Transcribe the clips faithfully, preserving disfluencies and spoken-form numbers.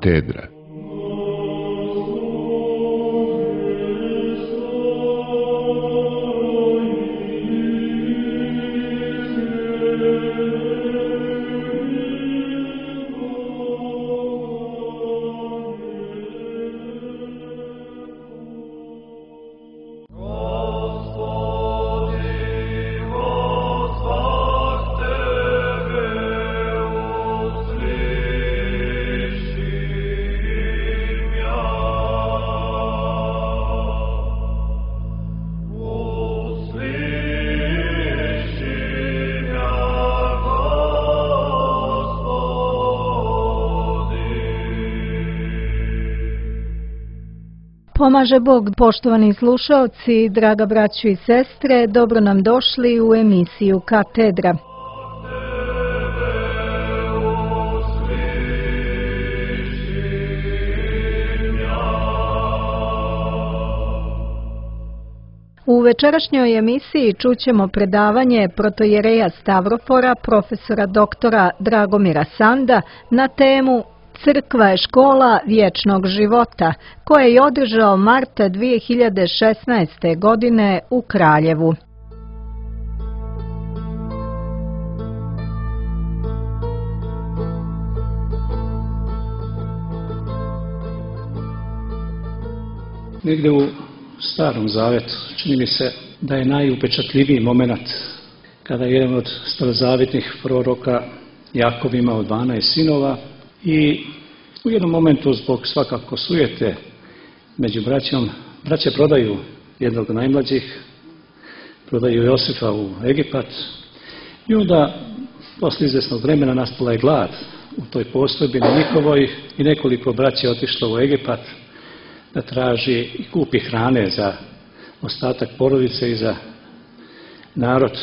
Katedra. Pomaže Bog, poštovani slušaoci, draga braćo i sestre, dobro nam došli u emisiju Katedra. U večerašnjoj emisiji čućemo predavanje protojereja Stavrofora, profesora doktora Dragomira Sanda na temu Crkva je škola vječnog života, koje je održao marta dvije hiljade šesnaeste. godine u Kraljevu. Negdje u Starom Zavetu čini mi se da je najupečatljiviji moment kada je jedan od starozavjetnih proroka Jakov imao dvanaest sinova i u jednom momentu zbog svakako sujete među braćom, braće prodaju jednog od najmlađih, prodaju Josifa u Egipat i onda posle izvjesnog vremena nastala je glad u toj postojbini njihovoj i nekoliko braća je otišlo u Egipat da traži i kupi hrane za ostatak porodice i za narod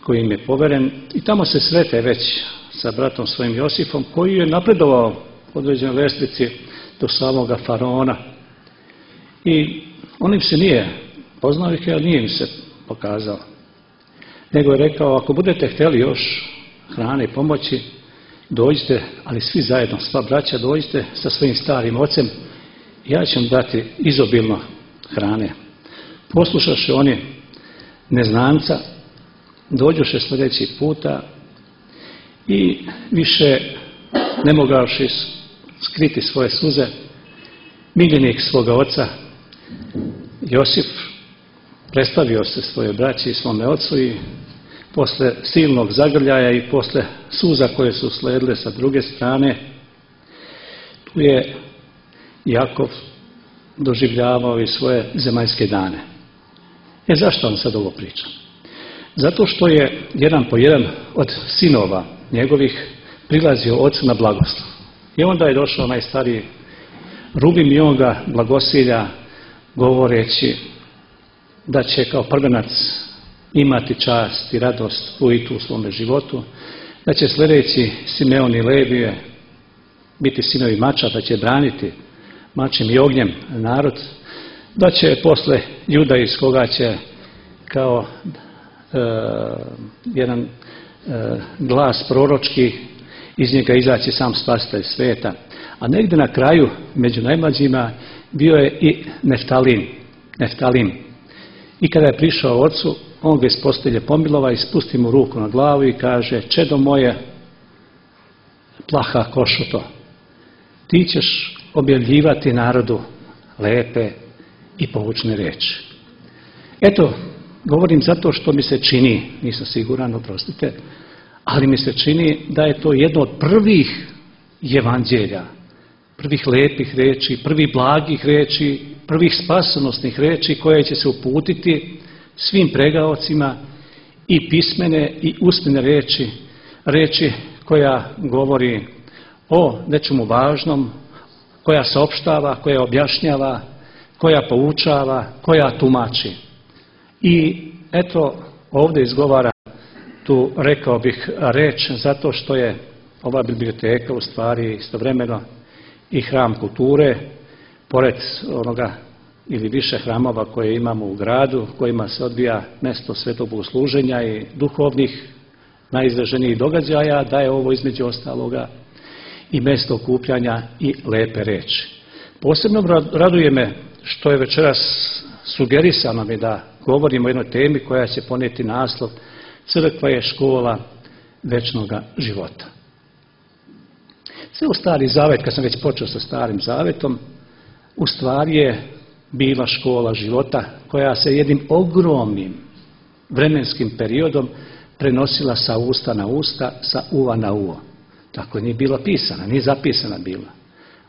koji im je poveren i tamo se srete već sa bratom svojim Josifom koji je napredovao u određenoj lestvici do samoga faraona. I on im se nije poznao ih, ali nije im se pokazao. Nego je rekao, ako budete htjeli još hrane i pomoći, dođite, ali svi zajedno, sva braća, dođite sa svojim starim ocem, ja ću vam dati izobilno hrane. Poslušaše oni neznanca, dođoše sljedeći puta i više ne mogavši skriti svoje suze, miljenik svoga oca Josif predstavio se svoje braći i svome ocu i posle silnog zagrljaja i posle suza koje su sledile sa druge strane, tu je Jakov doživljavao i svoje zemaljske dane. E zašto vam sad ovo pričam? Zato što je jedan po jedan od sinova njegovih prilazio ocu na blagoslov. I onda je došao najstariji Rubim i on ga blagosilja govoreći da će kao prvenac imati čast i radost ujitu u svome životu, da će sljedeći Simeon i Levije biti sinovi mača, da će braniti mačem i ognjem narod, da će posle Juda iz koga će kao e, jedan e, glas proročki iz njega izaći sam spasitelj sveta. A negdje na kraju, među najmlađima, bio je i Neftalim. Neftalim. I kada je prišao ocu, on ga iz postelje pomilova i spusti mu ruku na glavu i kaže, čedo moje, plaha košuto, ti ćeš objavljivati narodu lepe i poučne riječi. Eto, govorim zato što mi se čini, nisam siguran, oprostite, ali mi se čini da je to jedno od prvih evanđelja, prvih lepih riječi, prvih blagih riječi, prvih spasonosnih riječi koje će se uputiti svim pregaocima i pismene i usmene riječi, riječi koja govori o nečemu važnom, koja saopštava, koja objašnjava, koja poučava, koja tumači. I eto, ovdje izgovara tu, rekao bih, reč zato što je ova biblioteka u stvari istovremeno i hram kulture, pored onoga ili više hramova koje imamo u gradu, kojima se odvija mjesto svetog bogosluženja i duhovnih najizraženijih događaja, da je ovo između ostaloga i mjesto okupljanja i lepe reči. Posebno raduje me što je večeras sugerisano mi da govorimo o jednoj temi koja će ponijeti naslov Crkva je škola večnoga života. Cijel Stari Zavet, kad sam već počeo sa Starim Zavetom, u stvari je bila škola života koja se jednim ogromnim vremenskim periodom prenosila sa usta na usta, sa uva na uvo. Tako nije bila pisana, nije zapisana bila.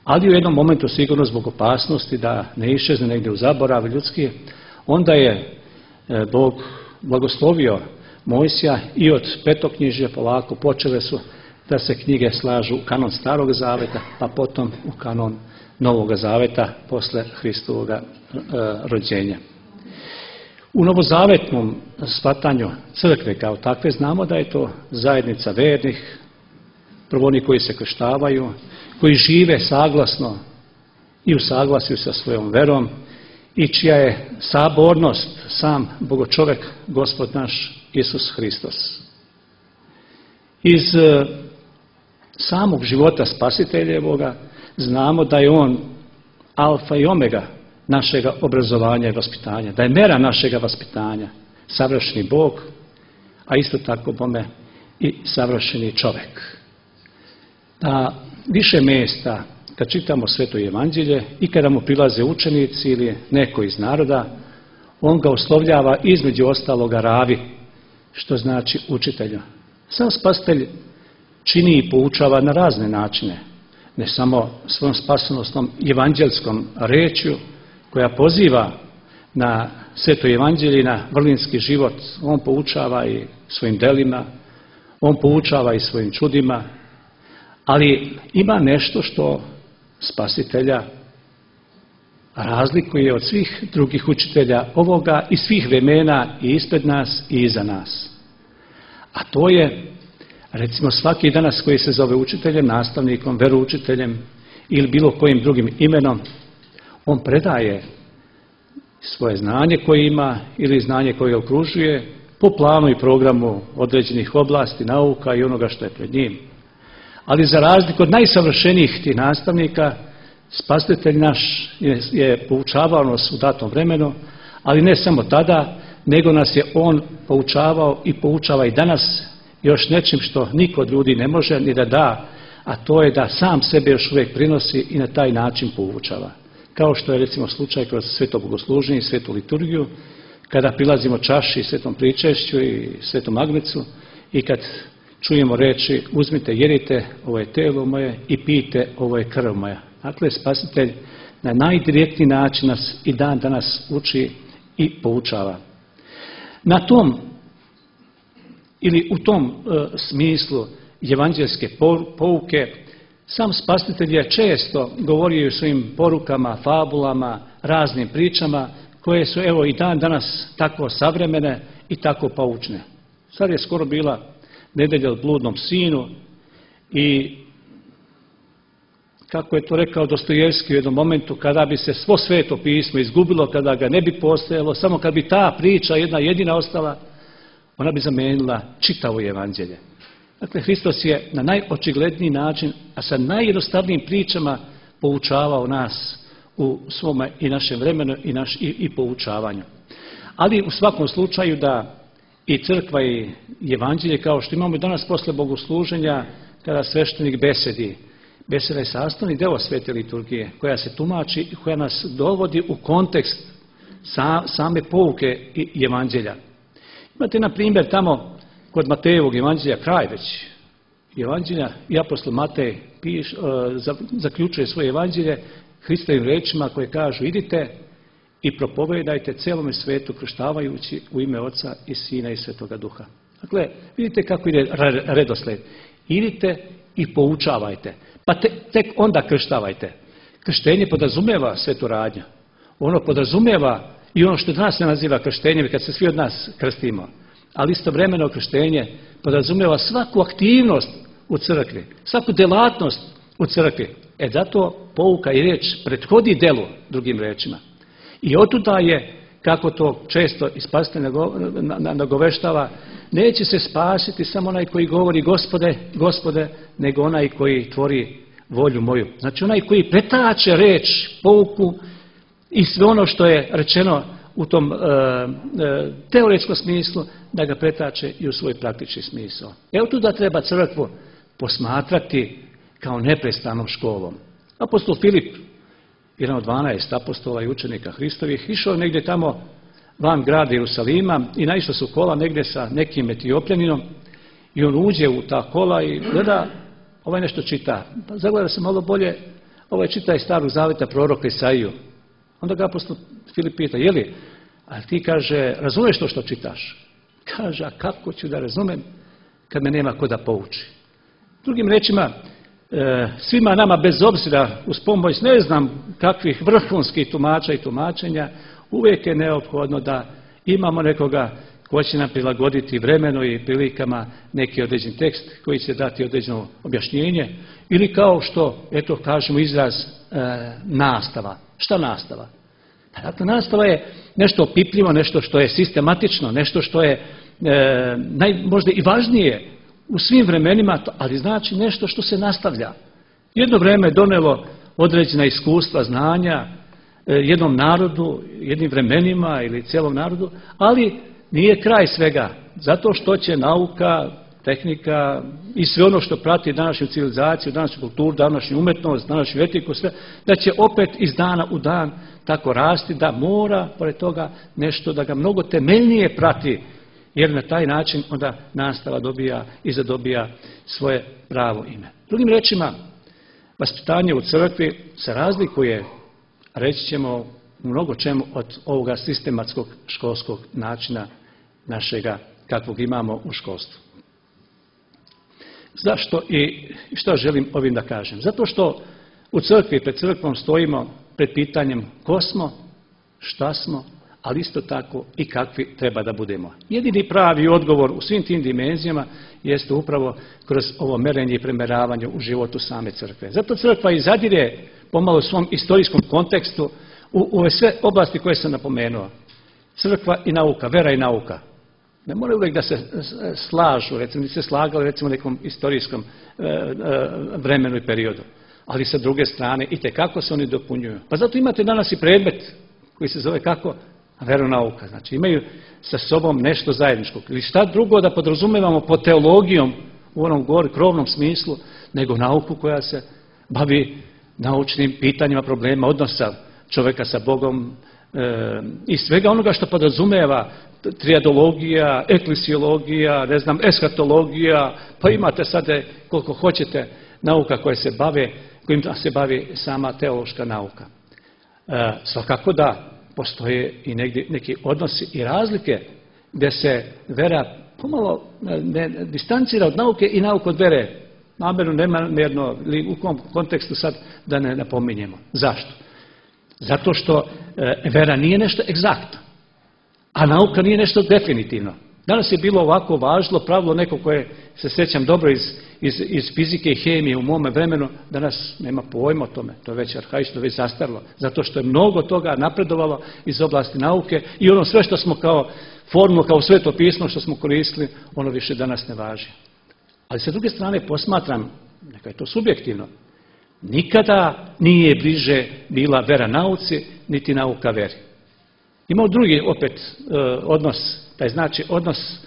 Ali u jednom momentu, sigurno zbog opasnosti da ne iščezne negdje u zaborav ljudski, onda je Bog blagoslovio Mojsija i od petoknjižja polako počele su da se knjige slažu u kanon Starog Zaveta, pa potom u kanon Novog Zaveta posle Hristovoga e, rođenja. U novozavetnom shvatanju crkve kao takve znamo da je to zajednica vernih, prvo oni koji se krštavaju, koji žive saglasno i u saglasju sa svojom verom i čija je sabornost sam Bogočovek, Gospod naš Isus Hristos. Iz e, samog života Spasiteljevoga znamo da je on alfa i omega našega obrazovanja i vaspitanja, da je mera našega vaspitanja, savršeni Bog, a isto tako bome i savršeni čovjek. Na više mjesta, kad čitamo Sveto Evanđelje i kada mu prilaze učenici ili neko iz naroda, on ga oslovljava između ostaloga Ravi, što znači učitelja. Sam Spasitelj čini i poučava na razne načine, ne samo svojom spasonosnom evanđelskom rečju koja poziva na Sveto Evanđelje i na vrlinski život. On poučava i svojim delima, on poučava i svojim čudima, ali ima nešto što Spasitelja razlikuje od svih drugih učitelja ovoga i svih vremena i ispred nas i iza nas. A to je, recimo, svaki danas koji se zove učiteljem, nastavnikom, veroučiteljem ili bilo kojim drugim imenom, on predaje svoje znanje koje ima ili znanje koje okružuje po planu i programu određenih oblasti, nauka i onoga što je pred njim. Ali za razliku od najsavršenijih tih nastavnika, Spasitelj naš je, je poučavao nas u datom vremenu, ali ne samo tada, nego nas je on poučavao i poučava i danas još nečim što niko od ljudi ne može ni da da, a to je da sam sebe još uvijek prinosi i na taj način poučava. Kao što je recimo slučaj kroz sveto bogosluženje i svetu liturgiju, kada prilazimo čaši, svetom pričešću i svetom agnecu i kad čujemo reči uzmite, jedite, ovo je telo moje i pijte, ovo je krv moja. Dakle, Spasitelj na najdirektniji način nas i dan danas uči i poučava. Na tom ili u tom e, smislu evanđelske pouke sam Spasitelj je često govorio o svojim porukama, fabulama, raznim pričama koje su evo i dan danas tako savremene i tako poučne. Sad je skoro bila nedelja o bludnom sinu i kako je to rekao Dostojevski u jednom momentu, kada bi se svo Sveto pismo izgubilo, kada ga ne bi postojalo, samo kad bi ta priča jedna jedina ostala, ona bi zamenila čitavo evanđelje. Dakle, Hristos je na najočigledniji način, a sa najjednostavnijim pričama poučavao nas u svome i našem vremenu i, naš, i, i poučavanju. Ali u svakom slučaju da i crkva i evanđelje, kao što imamo danas posle bogosluženja, kada sveštenik besedi, beseda je sastavni deo svete liturgije, koja se tumači i koja nas dovodi u kontekst sa, same pouke i evanđelja. Imate, na primjer, tamo kod Matejevog evanđelja, kraj već evanđelja, i apostol Matej piš, uh, zaključuje svoje evanđelje Hristovim rečima koje kažu idite i propovedajte celome svetu krštavajući u ime Oca i Sina i Svetoga Duha. Dakle, vidite kako ide redosled. Idite i poučavajte. Pa te, tek onda krštavajte. Krštenje podrazumijeva svetu radnju. Ono podrazumijeva i ono što danas se naziva krštenjem, kad se svi od nas krstimo. Ali istovremeno krštenje podrazumijeva svaku aktivnost u crkvi, svaku delatnost u crkvi. E zato pouka i riječ prethodi delu, drugim rečima. I otuda je, kako to često i Spasitelj nagoveštava, neće se spasiti samo onaj koji govori Gospode, Gospode, nego onaj koji tvori volju moju. Znači onaj koji pretače reč, pouku i sve ono što je rečeno u tom e, e, teoretskom smislu, da ga pretače i u svoj praktični smisao. Evo tu da treba crkvu posmatrati kao neprestanom školom. Apostol Filip, jedan od dvanaest apostola i učenika Hristovih, išao negdje tamo van grada Jerusalima i naišla su kola negdje sa nekim Etiopljaninom i on uđe u ta kola i gleda, ovaj nešto čita. Pa zagleda se malo bolje, ovaj čita iz Starog zaveta proroka Isaiju. Onda ga apostol Filip pita, je li, a ti kaže, razumiješ to što čitaš? Kaže, a kako ću da razumem kad me nema ko da pouči? Drugim rečima, svima nama bez obzira uz pomoć ne znam kakvih vrhunskih tumača i tumačenja, uvijek je neophodno da imamo nekoga ko će nam prilagoditi vremenu i prilikama neki određen tekst koji će dati određeno objašnjenje ili kao što, eto kažemo izraz e, nastava. Šta nastava? Dakle, nastava je nešto opipljivo, nešto što je sistematično, nešto što je e, naj, možda i važnije u svim vremenima, ali znači nešto što se nastavlja. Jedno vrijeme je donelo određena iskustva, znanja jednom narodu, jednim vremenima ili cijelom narodu, ali nije kraj svega. Zato što će nauka, tehnika i sve ono što prati današnju civilizaciju, današnju kulturu, današnju umetnost, današnju etiku, sve, da će opet iz dana u dan tako rasti, da mora, pored toga, nešto da ga mnogo temeljnije prati, jer na taj način onda nastava dobija i zadobija svoje pravo ime. Drugim rečima, vaspitanje u crkvi se razlikuje, reći ćemo, u mnogo čemu od ovoga sistematskog školskog načina našega kakvog imamo u školstvu. Zašto i što želim ovim da kažem? Zato što u crkvi, pred crkvom stojimo pred pitanjem ko smo, šta smo, ali isto tako i kakvi treba da budemo. Jedini pravi odgovor u svim tim dimenzijama jeste upravo kroz ovo merenje i premeravanje u životu same crkve. Zato crkva i zadire pomalo u svom istorijskom kontekstu u ove sve oblasti koje sam napomenuo. Crkva i nauka, vera i nauka. Ne moraju uvijek da se slažu, recimo, ni se slagali recimo u nekom istorijskom e, e, vremenu i periodu. Ali sa druge strane itekako se oni dopunjuju. Pa zato imate danas i predmet koji se zove kako? Veronauka. Znači imaju sa sobom nešto zajedničkog. Ili šta drugo da podrazumevamo pod teologijom u onom gori krovnom smislu, nego nauku koja se bavi naučnim pitanjima, problema, odnosa čovjeka sa Bogom e, i svega onoga što podrazumeva triadologija, eklesiologija, ne znam, eskatologija, pa imate sad koliko hoćete nauka koje se bave, kojim se bavi sama teološka nauka. E, svakako da postoje i negdje neki odnosi i razlike gdje se vera pomalo ne, ne, distancira od nauke i nauka od vere. Namjerno, nemjerno, ili u kom kontekstu sad da ne napominjemo. Zašto? Zato što e, vera nije nešto egzaktno, a nauka nije nešto definitivno. Danas je bilo ovako važno pravilo neko koje se sjećam dobro iz, iz, iz fizike i hemije u mome vremenu, danas nema pojma o tome, to je već arhaično, već zastarilo, zato što je mnogo toga napredovalo iz oblasti nauke i ono sve što smo kao formulu, kao sveto pismo što smo koristili, ono više danas ne važi. Ali sa druge strane posmatram, neka je to subjektivno, nikada nije bliže bila vera nauci, niti nauka veri. Imamo drugi opet odnos, taj znači odnos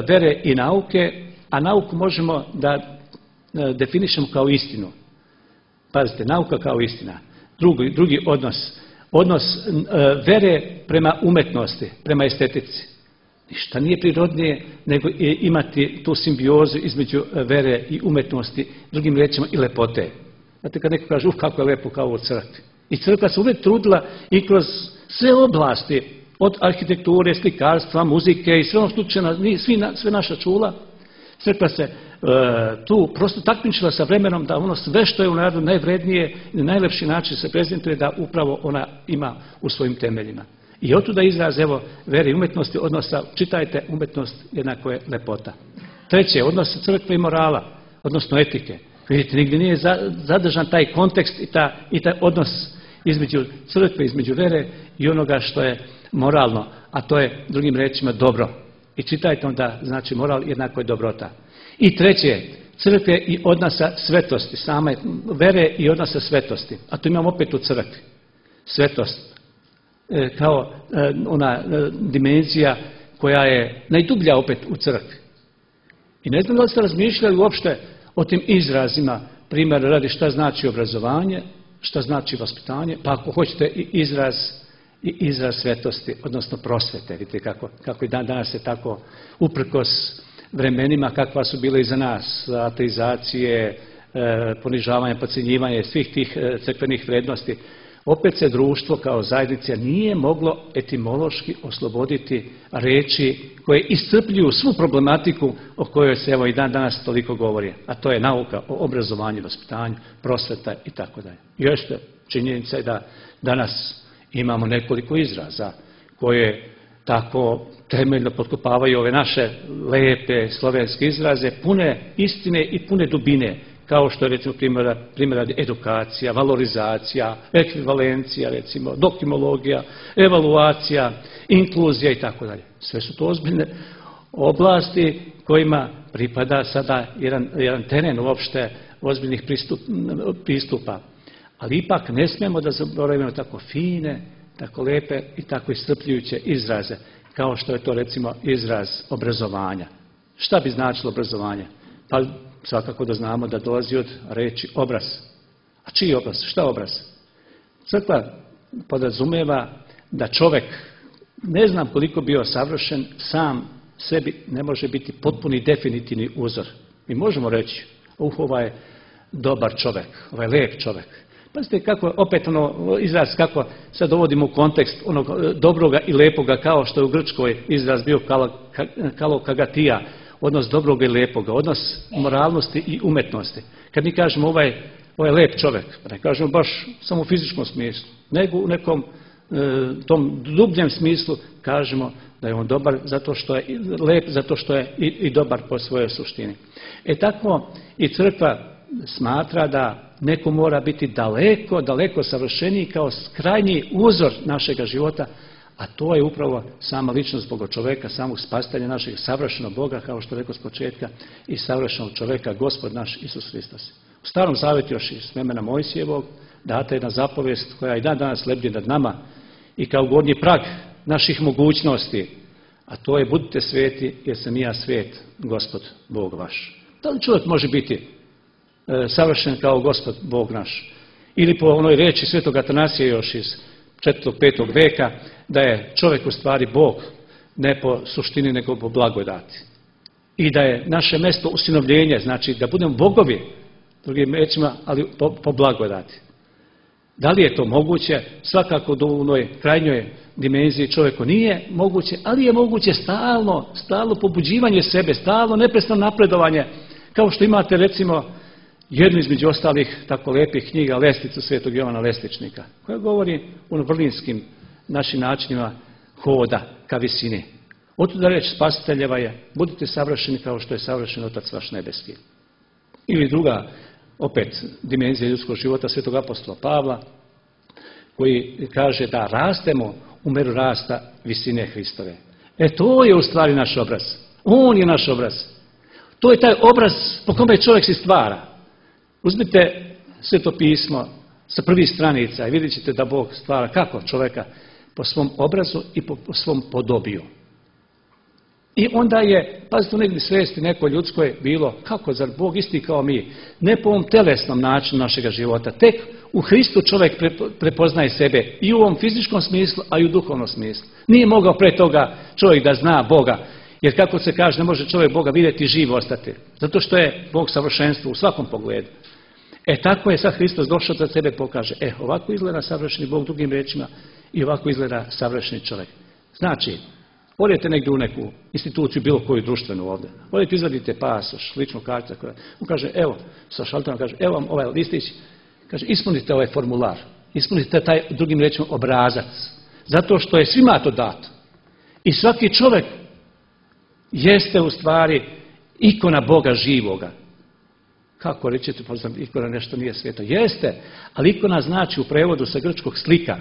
vere i nauke, a nauku možemo da definišemo kao istinu. Pazite, nauka kao istina. Drugi, drugi odnos, odnos vere prema umetnosti, prema estetici. Ništa nije prirodnije nego imati tu simbiozu između vere i umetnosti, drugim riječima i lepote. Znate kad neko kaže, uf, kako je lepo kao u crkvi. I crkva se uvijek trudila i kroz sve oblasti, od arhitekture, slikarstva, muzike i sve ono što svi, sve naša čula, crkva se e, tu prosto takmičila sa vremenom da ono sve što je u narodu najvrednije i na najlepši način se prezentuje da upravo ona ima u svojim temeljima. I otuda izraz, evo, vere i umetnosti odnosa, čitajte, umetnost jednako je lepota. Treće, odnos crkve i morala, odnosno etike. Vidite, nigdje nije zadržan taj kontekst i, ta, i taj odnos između crkve, između vere i onoga što je moralno, a to je drugim rečima dobro. I čitajte onda, znači moral jednako je dobrota. I treće, crkve i odnosa svetosti, same vere i odnosa svetosti. A to imamo opet u crkvi. Svetost e, kao e, ona e, dimenzija koja je najdublja opet u crkvi. I ne znam da li ste razmišljali uopšte o tim izrazima, primjer radi šta znači obrazovanje, šta znači vaspitanje, pa ako hoćete i izraz, i izraz svetosti, odnosno prosvete. Vidite kako, kako i dan danas je tako uprkos vremenima kakva su bile iza nas, ateizacije, e, ponižavanja, podcjenjivanja svih tih e, crkvenih vrednosti. Opet se društvo kao zajednica nije moglo etimološki osloboditi riječi koje iscrpljuju svu problematiku o kojoj se evo i dan danas toliko govori, a to je nauka o obrazovanju, vaspitanju, prosveta i tako dalje. Još je činjenica je da danas imamo nekoliko izraza koje tako temeljno potkopavaju ove naše lepe slovenske izraze, pune istine i pune dubine, kao što je recimo primjer, primjer edukacija, valorizacija, ekvivalencija, recimo doktimologija, evaluacija, inkluzija i tako dalje. Sve su to ozbiljne oblasti kojima pripada sada jedan, jedan teren uopšte ozbiljnih pristup, pristupa. Ali ipak ne smijemo da zaboravimo tako fine, tako lepe i tako iscrpljujuće izraze, kao što je to recimo izraz obrazovanja. Šta bi značilo obrazovanje? Pa svakako da znamo da dolazi od reči obraz. A čiji obraz? Šta obraz? Crkva podrazumeva da čovjek, ne znam koliko bio savršen, sam sebi ne može biti potpuni definitivni uzor. Mi možemo reći, uh, ovaj je dobar čovjek, ovaj je lijep čovjek. Pazite kako, opet ono izraz kako sad dovodimo u kontekst onog dobroga i lepoga, kao što je u Grčkoj izraz bio kalokagatia, odnos dobroga i lepoga, odnos moralnosti i umetnosti. Kad mi kažemo ovaj, ovaj je lep čovjek, ne kažemo baš samo u fizičkom smislu, nego u nekom e, tom dubljem smislu kažemo da je on dobar zato što je lep, zato što je i, i dobar po svojoj suštini. E tako i crkva smatra da neko mora biti daleko, daleko savršeniji kao krajnji uzor našega života, a to je upravo sama ličnost Boga čovjeka, samog spasitelja našeg savršenog Boga, kao što rekao s početka, i savršenog čovjeka, Gospod naš Isus Hristos. U Starom Zavjetu još iz vremena Mojsijevog data jedna zapovijest koja i dan danas lebdi nad nama i kao gornji prag naših mogućnosti, a to je budite sveti jer sam i ja svet, Gospod Bog vaš. Da li čovjek može biti e, savršen kao Gospod Bog naš? Ili po onoj riječi svetog Atanasija još iz četvrtog petog veka, da je čovjek u stvari Bog, ne po suštini nego po blagodati. I da je naše mjesto usinovljenje, znači da budemo bogovi, drugim riječima, ali po, po blagodati. Da li je to moguće? Svakako do onoj krajnjoj dimenziji čovjeku nije moguće, ali je moguće stalno, stalno pobuđivanje sebe, stalno neprestano napredovanje, kao što imate recimo jednu između ostalih tako lepih knjiga, Lesticu svetog Jovana Lestičnika, koja govori o vrlinskim našim načinima hoda ka visini. Otuda reč spasiteljeva je, budite savršeni kao što je savršen Otac vaš nebeski. Ili druga, opet, dimenzija ljudskog života svetog apostola Pavla, koji kaže da rastemo u meru rasta visine Hristove. E to je u stvari naš obraz. On je naš obraz. To je taj obraz po kome čovjek se stvara. Uzmite Sveto pismo sa prvih stranica i vidjet ćete da Bog stvara kako čovjeka po svom obrazu i po svom podobiju. I onda je, pazite, u negdje svijesti neko ljudskoj bilo, kako, zar Bog isti kao mi? Ne po ovom telesnom načinu našega života. Tek u Hristu čovjek prepoznaje sebe i u ovom fizičkom smislu, a i u duhovnom smislu. Nije mogao pre toga čovjek da zna Boga, jer kako se kaže, ne može čovjek Boga vidjeti i živ ostati. Zato što je Bog savršenstvo u svakom pogledu. E tako je sad Hristos došao da sebe pokaže. E, ovako izgleda savršeni Bog, drugim riječima, i ovako izgleda savršeni čovjek. Znači, odete negdje u neku instituciju, bilo koju društvenu ovdje. Odete, izvadite pasoš, ličnu kartu. On kaže, evo, sa šalterom kaže, evo vam ovaj listić. Kaže, ispunite ovaj formular. Ispunite taj, drugim riječima, obrazac. Zato što je svima to dato. I svaki čovjek jeste u stvari ikona Boga živoga. Kako rećete, pa znam, ikona nešto nije sveto. Jeste, ali ikona znači u prevodu sa grčkog slika.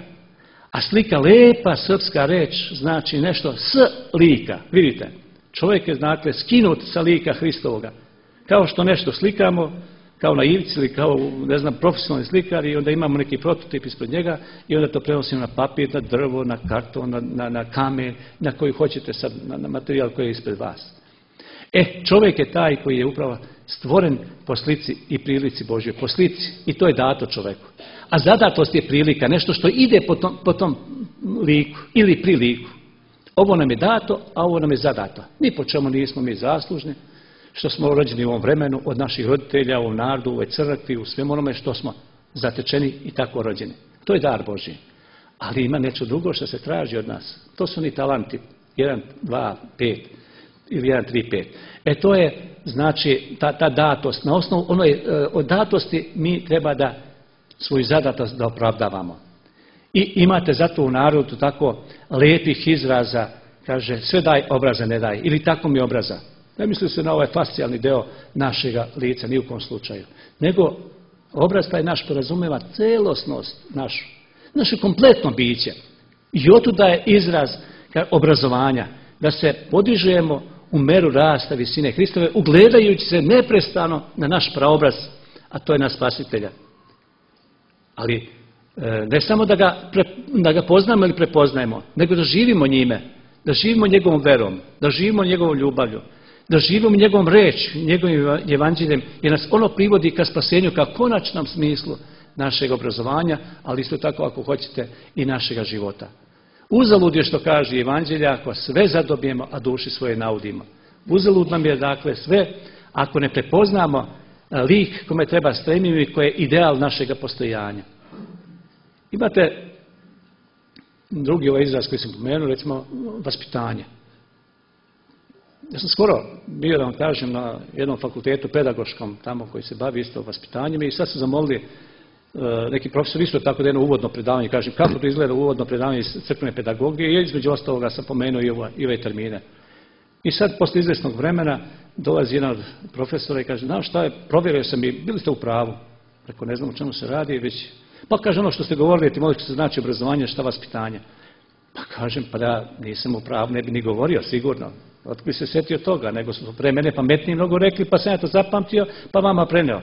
A slika, lepa srpska reč, znači nešto s lika. Vidite, čovjek je, znate, skinut sa lika Hristovoga. Kao što nešto slikamo, kao na ivici ili kao, ne znam, profesionalni slikar i onda imamo neki prototip ispred njega i onda to prenosimo na papir, na drvo, na karton, na, na, na kamen, na koji hoćete sad, na, na materijal koji je ispred vas. E, čovjek je taj koji je upravo stvoren po slici i prilici Božjoj, po slici, i to je dato čovjeku. A zadatost je prilika, nešto što ide po tom, po tom liku ili pri liku. Ovo nam je dato, a ovo nam je zadato. Ni po čemu nismo mi zaslužni, što smo rođeni u ovom vremenu, od naših roditelja, u ovom narodu, u ovoj crkvi, u svem onome što smo zatečeni i tako rođeni. To je dar Božji. Ali ima nešto drugo što se traži od nas. To su ni talanti. jedan, dva, pet ili jedan, tri, pet. E to je, znači, ta, ta datost. Na osnovu onoj od datosti mi treba da svoju zadatost da opravdavamo. I imate zato u narodu tako lijepih izraza, kaže, sve daj, obraza ne daj. Ili tako mi obraza. Ne misli se na ovaj fascijalni deo našega lica, ni u kom slučaju. Nego obraz taj naš podrazumijeva celosnost našu, naše kompletno biće. I otuda je izraz obrazovanja, da se podižujemo u meru rasta visine Hristove, ugledajući se neprestano na naš praobraz, a to je na Spasitelja. Ali ne samo da ga, da ga poznamo ili prepoznajemo, nego da živimo njime, da živimo njegovom verom, da živimo njegovom ljubavlju, da živimo njegovom reč, njegovim evanđeljem, jer nas ono privodi ka spasenju, ka konačnom smislu našeg obrazovanja, ali isto tako, ako hoćete, i našega života. Uzalud je što kaže evanđelja, ako sve zadobijemo, a duši svoje naudimo. Uzalud nam je, dakle, sve, ako ne prepoznamo lik kome treba stremiti i koji je ideal našega postojanja. Imate drugi ovaj izraz koji sam pomenuo, recimo vaspitanje. Ja sam skoro bio, da vam kažem, na jednom fakultetu pedagoškom, tamo koji se bavi isto vaspitanjem, i sad su zamolili uh, neki profesor isto tako da jedno uvodno predavanje, kažem kako to izgleda uvodno predavanje iz crkvene pedagogije, i između ostaloga sam pomenuo i, ova, i ove termine. I sad, posle izvjesnog vremena, dolazi jedan od profesora i kaže, znaš šta je, provjerio sam i bili ste u pravu. Rekao, ne znam o čemu se radi, već, pa kaže ono što ste govorili, etimološki se znači obrazovanje, šta vaspitanje. Pa kažem, pa da nisam u pravu, ne bi ni govorio, sigurno. Otko bi se sjetio toga, nego su pre mene pametniji mnogo rekli, pa sam ja to zapamtio, pa vama preneo.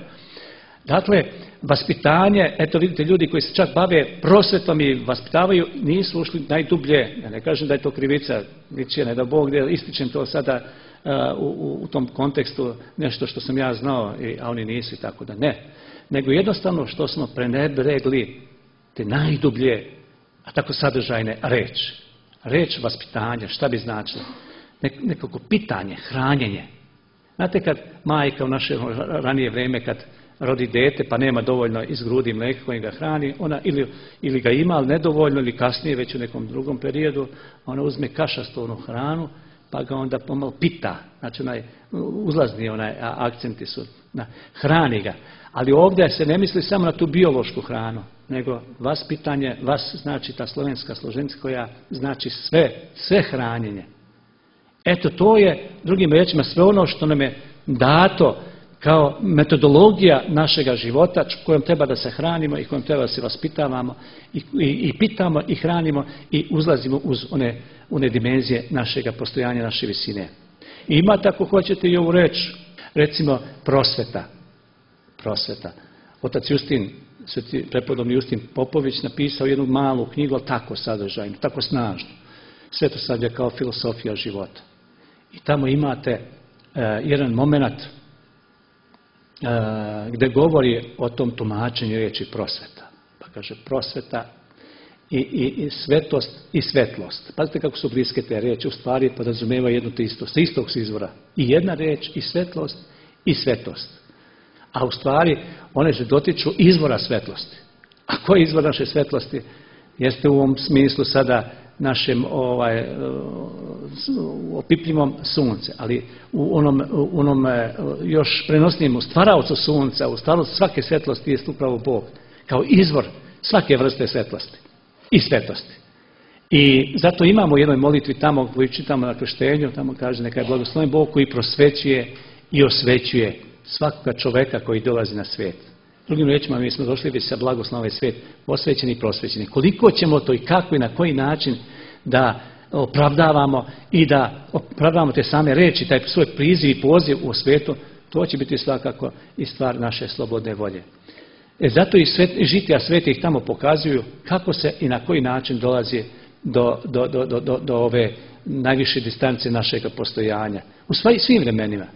Dakle, vaspitanje, eto vidite, ljudi koji se čak bave prosvetom i vaspitavaju, nisu ušli najdublje. Ja ne kažem da je to krivica, ničije, ne da Bog, ističem to sada uh, u, u tom kontekstu, nešto što sam ja znao, a oni nisu i tako da ne. Nego jednostavno što smo prenebregli te najdublje, a tako sadržajne reč. Reč vaspitanja, šta bi značilo? Nekako pitanje, hranjenje. Znate kad majka u naše ranije vrijeme kad rodi dete pa nema dovoljno iz grudi mlijeka kojim ga hrani, ona ili, ili ga ima, ali nedovoljno, ili kasnije već u nekom drugom periodu, ona uzme kašastu onu hranu pa ga onda pomalo pita, znači onaj uzlazni onaj akcenti su, na, hrani ga. Ali ovdje se ne misli samo na tu biološku hranu, nego vaspitanje, vas znači ta slovenska složenca koja znači sve, sve hranjenje. Eto, to je, drugim riječima, sve ono što nam je dato kao metodologija našega života kojom treba da se hranimo i kojom treba da se vaspitavamo i, i, i pitamo i hranimo i uzlazimo uz one, one dimenzije našega postojanja, naše visine. I imate, ako hoćete, i ovu reč, recimo prosveta. Prosveta. Otac Justin, sveti prepodobni Justin Popović, napisao jednu malu knjigu, ali tako sadržajnu, tako snažnu. Svetosavlje kao filosofija života. I tamo imate uh, jedan moment uh, gdje govori o tom tumačenju riječi prosveta. Pa kaže prosveta i, i, i svetost i svetlost. Pazite kako su bliske te riječi, u stvari podrazumijevaju jedno te isto, sa istog izvora. I jedna riječ i svetlost i svetost. A u stvari one se dotiču izvora svetlosti. A koji je izvor naše svetlosti? Jeste u ovom smislu sada našem ovaj, opipljivom sunce, ali u onom, u onom još prenosnijem stvaraocu sunca, u stvarnosti svake svetlosti je upravo Bog, kao izvor svake vrste svetlosti i svetosti. I zato imamo u jednoj molitvi tamo koju čitamo na krštenju, tamo kaže neka je blagosloven Bog koji prosvećuje i osvećuje svakoga čoveka koji dolazi na svijet. Drugim riječima, mi smo došli već sa blagoslovom ovaj svijet, osvećeni i prosvećeni. Koliko ćemo to i kako i na koji način da opravdavamo i da opravdavamo te same reči, taj svoj priziv i poziv u svijetu, To će biti svakako i stvar naše slobodne volje. E zato i svet, žitija svetih tamo pokazuju kako se i na koji način dolazi do, do, do, do, do, do ove najviše distance našeg postojanja. U svim vremenima.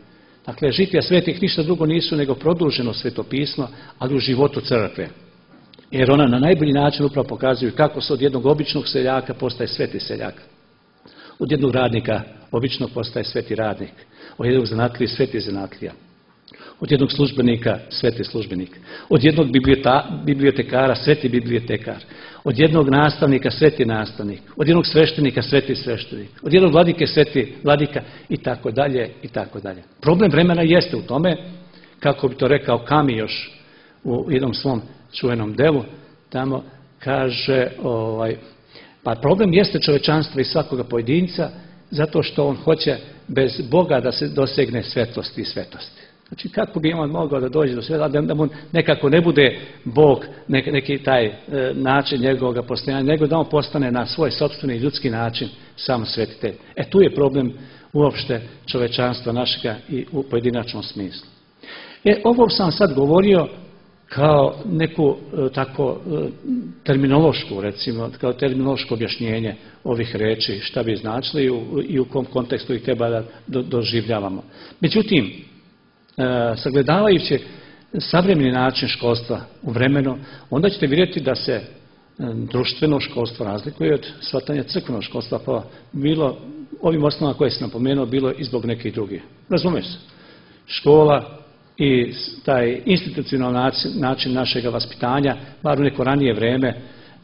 Dakle, žitija svetih ništa drugo nisu nego produženo svetopismo, ali u životu crkve. Jer ona na najbolji način upravo pokazuju kako se od jednog običnog seljaka postaje sveti seljak. Od jednog radnika običnog postaje sveti radnik. Od jednog zanatlije sveti zanatlija. Od jednog službenika sveti službenik. Od jednog bibliotekara sveti bibliotekar. Od jednog nastavnika sveti nastavnik. Od jednog sveštenika sveti sveštenik. Od jednog vladike sveti vladika i tako dalje i tako dalje. Problem vremena jeste u tome, kako bi to rekao Kami još u jednom svom čuvenom delu, tamo kaže, ovaj, pa problem jeste čovečanstva i svakoga pojedinca, zato što on hoće bez Boga da se dosegne svetlosti i svetosti. Znači, kako bi on mogao da dođe do sveta, da mu nekako ne bude Bog neki, neki taj e, način njegovog postojanja, nego da on postane na svoj sopstveni ljudski način sam svetitelj. E tu je problem uopšte čovečanstva našega i u pojedinačnom smislu. E, ovo sam sad govorio kao neku e, tako e, terminološku, recimo, kao terminološko objašnjenje ovih reči, šta bi značili i u, i u kom kontekstu ih treba da do, doživljavamo. Međutim, e, sagledavajući savremeni način školstva u vremenu, onda ćete vidjeti da se e, društveno školstvo razlikuje od shvatanja crkvenog školstva, pa bilo ovim osnovama koje sam napomenuo, bilo i zbog nekih drugih. Razumeš se? Škola i taj institucionalni način našeg vaspitanja, bar u neko ranije vrijeme,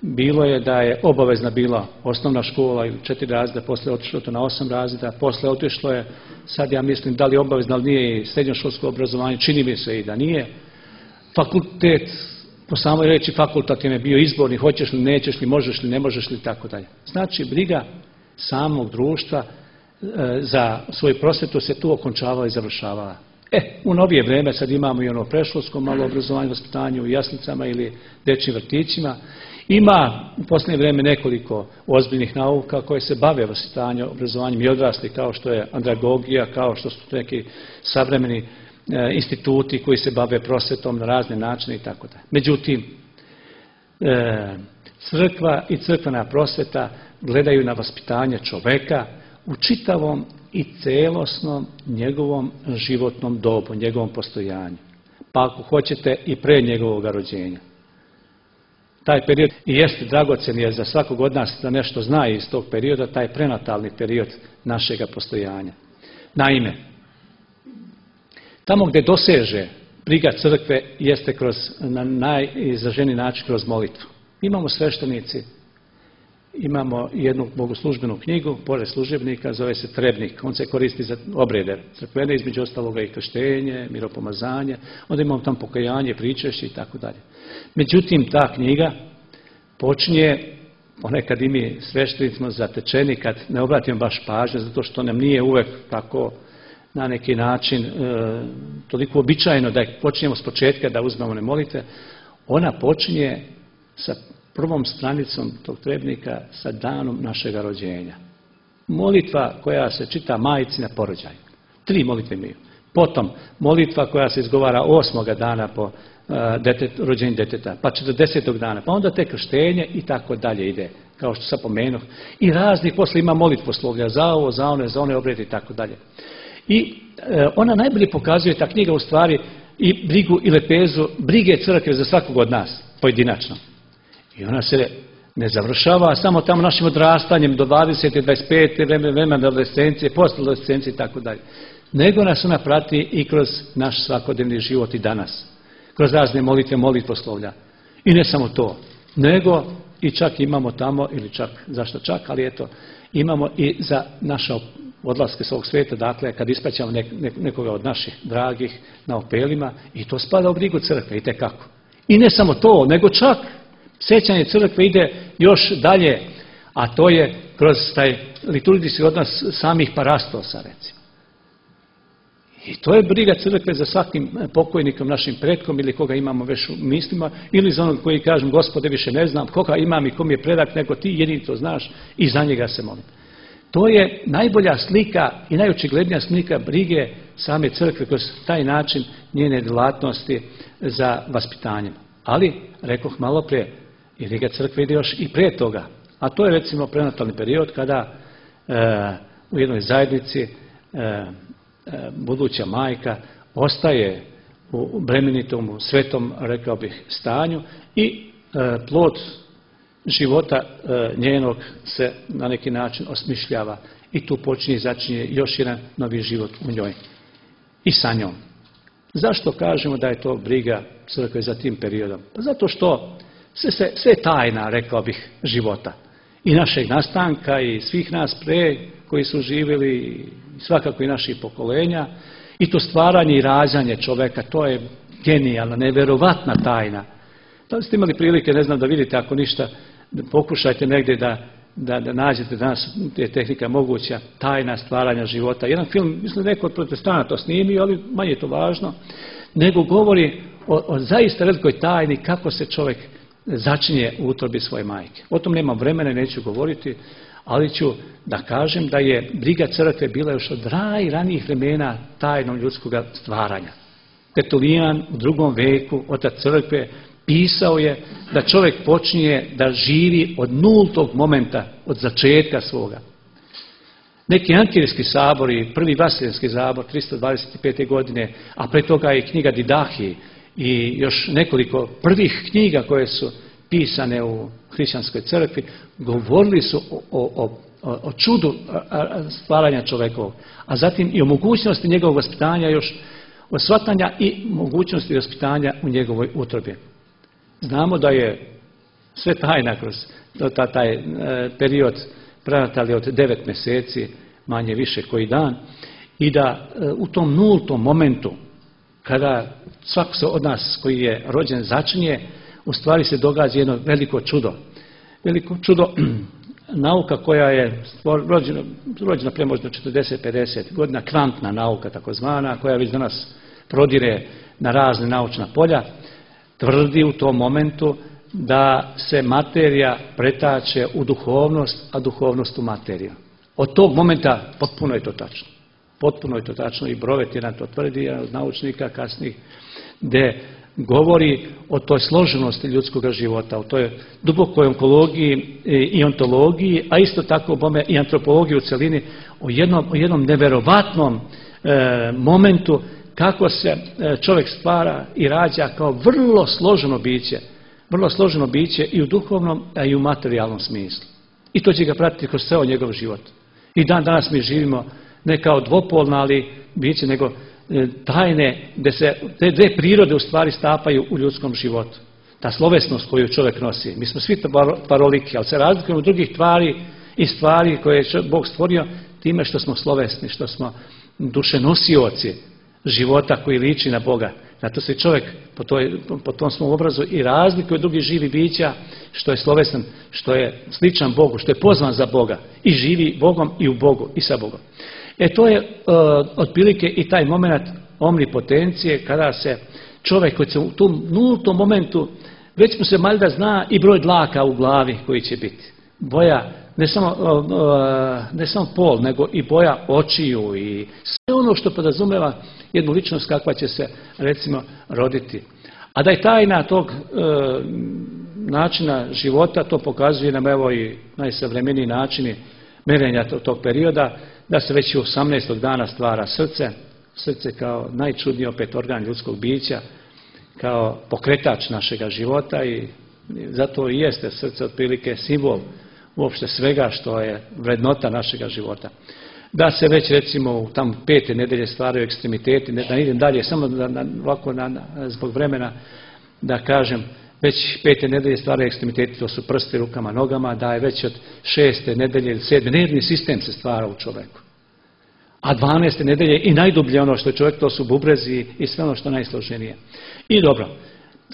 bilo je da je obavezna bila osnovna škola ili četiri razreda, posle otišlo to na osam razreda, posle otišlo je, sad ja mislim da li je obavezno, ali nije i srednjoškolsko obrazovanje, čini mi se i da nije. Fakultet, po samoj reči fakultativno je bio izborni, hoćeš li, nećeš li, možeš li, ne možeš li, tako dalje. Znači, briga samog društva e, za svoju prosvetu se tu okončavala i završavala. E, u novije vrijeme sad imamo i ono preškolsko malo obrazovanje, vaspitanje u jaslicama ili dečjim vrtićima. Ima u posljednje vrijeme nekoliko ozbiljnih nauka koje se bave vaspitanjem, obrazovanjem i odrasli, kao što je andragogija, kao što su neki savremeni e, instituti koji se bave prosvetom na razne načine i tako dalje. Međutim, e, crkva i crkvena prosveta gledaju na vaspitanje čoveka u čitavom i celosnom njegovom životnom dobu, njegovom postojanju. Pa ako hoćete i pre njegovog rođenja. Taj period i jeste dragocen je za svakog od nas da nešto zna iz tog perioda, taj prenatalni period našega postojanja. Naime, tamo gdje doseže briga crkve jeste kroz, na najizraženiji način kroz molitvu. Imamo sveštenici, imamo jednu bogoslužbenu knjigu, pored služebnika, zove se Trebnik. On se koristi za obrede crkvene, između ostaloga i krštenje, miropomazanje, onda imamo tam pokajanje, pričešće i tako dalje. Međutim, ta knjiga počinje, ponekad i mi sveštenici smo zatečeni kad ne obratimo baš pažnje, zato što nam nije uvek tako na neki način e, toliko običajno da počinjemo s početka da uzmemo ne molite. Ona počinje sa prvom stranicom tog trebnika sa danom našega rođenja. Molitva koja se čita majci na porođaju. Tri molitve imaju. Potom molitva koja se izgovara osmoga dana po uh, detet, rođenju deteta, pa četrdesetog dana, pa onda te krštenje i tako dalje ide, kao što sam pomenuo. I raznih posle ima molitvoslovlja za ovo, za one, za one obrede i tako dalje. I uh, ona najbolje pokazuje, ta knjiga u stvari, i brigu i lepezu, brige crkve za svakog od nas, pojedinačno. I ona se ne završava samo tamo našim odrastanjem do dvadeset, dvadeset pet, vremena adolescencije, posle adolescencije i tako dalje. Nego nas ona prati i kroz naš svakodnevni život i danas. Kroz razne molitve, molitvoslovlja. I ne samo to, nego i čak imamo tamo, ili čak, zašto čak, ali eto, imamo i za naše odlaske s ovog svijeta, dakle, kad ispraćamo nek, nekoga od naših dragih na opelima, i to spada u brigu crkve, i tekako. I ne samo to, nego čak sjećanje crkve ide još dalje, a to je kroz taj liturgijski odnos samih parastosa, recimo. I to je briga crkve za svakim pokojnikom, našim pretkom, ili koga imamo već u mislima, ili za onog koji kažem, Gospode, više ne znam koga imam i kom je predak, nego ti jedini to znaš i za njega se molim. To je najbolja slika i najočiglednija slika brige same crkve, kroz taj način njene djelatnosti za vaspitanjem. Ali, rekoh malo prije, i Riga crkve ide još i prije toga. A to je recimo prenatalni period kada e, u jednoj zajednici e, e, buduća majka ostaje u bremenitom, u svetom, rekao bih, stanju i e, plod života e, njenog se na neki način osmišljava i tu počinje i začinje još jedan novi život u njoj i sa njom. Zašto kažemo da je to briga crkve za tim periodom? Pa zato što sve, sve, sve tajna, rekao bih, života. I našeg nastanka i svih nas pre koji su živjeli, i svakako i naših pokolenja. I to stvaranje i rađanje čoveka, to je genijalna, nevjerovatna tajna. Da li ste imali prilike, ne znam, da vidite, ako ništa, pokušajte negdje da, da, da nađete danas je tehnika moguća, tajna stvaranja života. Jedan film, mislim, neko od protestana to snimio, ali manje je to važno, nego govori o, o zaista velikoj tajni kako se čovjek začinje u utrobi svoje majke. O tom nemam vremena i neću govoriti, ali ću da kažem da je briga crkve bila još od raj ranijih vremena tajnom ljudskog stvaranja. Tertulijan u drugom veku, otac crkve, pisao je da čovjek počinje da živi od nultog momenta, od začetka svoga. Neki Ankirski sabor i prvi Vaseljenski sabor tristo dvadeset pete. godine, a pre toga je knjiga Didahi i još nekoliko prvih knjiga koje su pisane u hrišćanskoj crkvi, govorili su o, o, o, o čudu stvaranja čovekovog, a zatim i o mogućnosti njegovog vaspitanja, još o shvatanja i mogućnosti vaspitanja u njegovoj utrobi. Znamo da je sve tajna kroz taj period prenatalni od devet mjeseci, manje više koji dan, i da u tom nultom momentu, kada svako se od nas koji je rođen začinje, u stvari se događa jedno veliko čudo. Veliko čudo, nauka koja je rođena, rođena prije možda četrdeset pedeset godina, kvantna nauka takozvana, koja već danas prodire na razne naučna polja, tvrdi u tom momentu da se materija pretače u duhovnost, a duhovnost u materiju. Od tog momenta potpuno je to tačno. Potpuno je to tačno i Brovet jedan to tvrdi, jedan od naučnika kasnijih, gdje govori o toj složenosti ljudskog života, o toj dubokoj onkologiji i ontologiji, a isto tako bome i antropologiji u celini, o jednom, o jednom neverovatnom e, momentu kako se čovjek stvara i rađa kao vrlo složeno biće, vrlo složeno biće i u duhovnom, a i u materijalnom smislu. I to će ga pratiti kroz ceo njegov život. I dan danas mi živimo ne kao dvopolna, ali biće, nego tajne, gdje se te dve prirode u stvari stapaju u ljudskom životu. Ta slovesnost koju čovjek nosi. Mi smo svi paroliki, ali se razlikujemo od drugih tvari i stvari koje je Bog stvorio time što smo slovesni, što smo dušenosioci života koji liči na Boga. Zato se čovjek po, toj, po tom svom obrazu i razlikuje od drugih živih bića, što je slovesan, što je sličan Bogu, što je pozvan za Boga i živi Bogom i u Bogu i sa Bogom. E to je uh, otprilike i taj moment omnipotencije kada se čovjek koji se u tom nultom momentu već mu se valjda zna i broj dlaka u glavi koji će biti. Boja, ne samo, uh, ne samo pol, nego i boja očiju i sve ono što podrazumeva jednu ličnost kakva će se recimo roditi. A da je tajna tog uh, načina života, to pokazuje nam evo i najsavremeniji načini merenja tog, tog perioda, da se već u osamnaestog dana stvara srce, srce kao najčudniji opet organ ljudskog bića, kao pokretač našega života i zato i jeste srce otprilike simbol uopšte svega što je vrednota našega života. Da se već recimo u tam pete nedelje stvaraju ekstremiteti, ne, da idem dalje, samo da, da, ovako na, na, zbog vremena da kažem, već pete nedelje stvaraju ekstremiteti, to su prsti, rukama, nogama, da je već od šeste nedelje ili sedme, nervni sistem se stvara u čovjeku. A dvanaeste nedelje i najdublje ono što je čovjek, to su bubrezi i sve ono što je najsloženije. I dobro,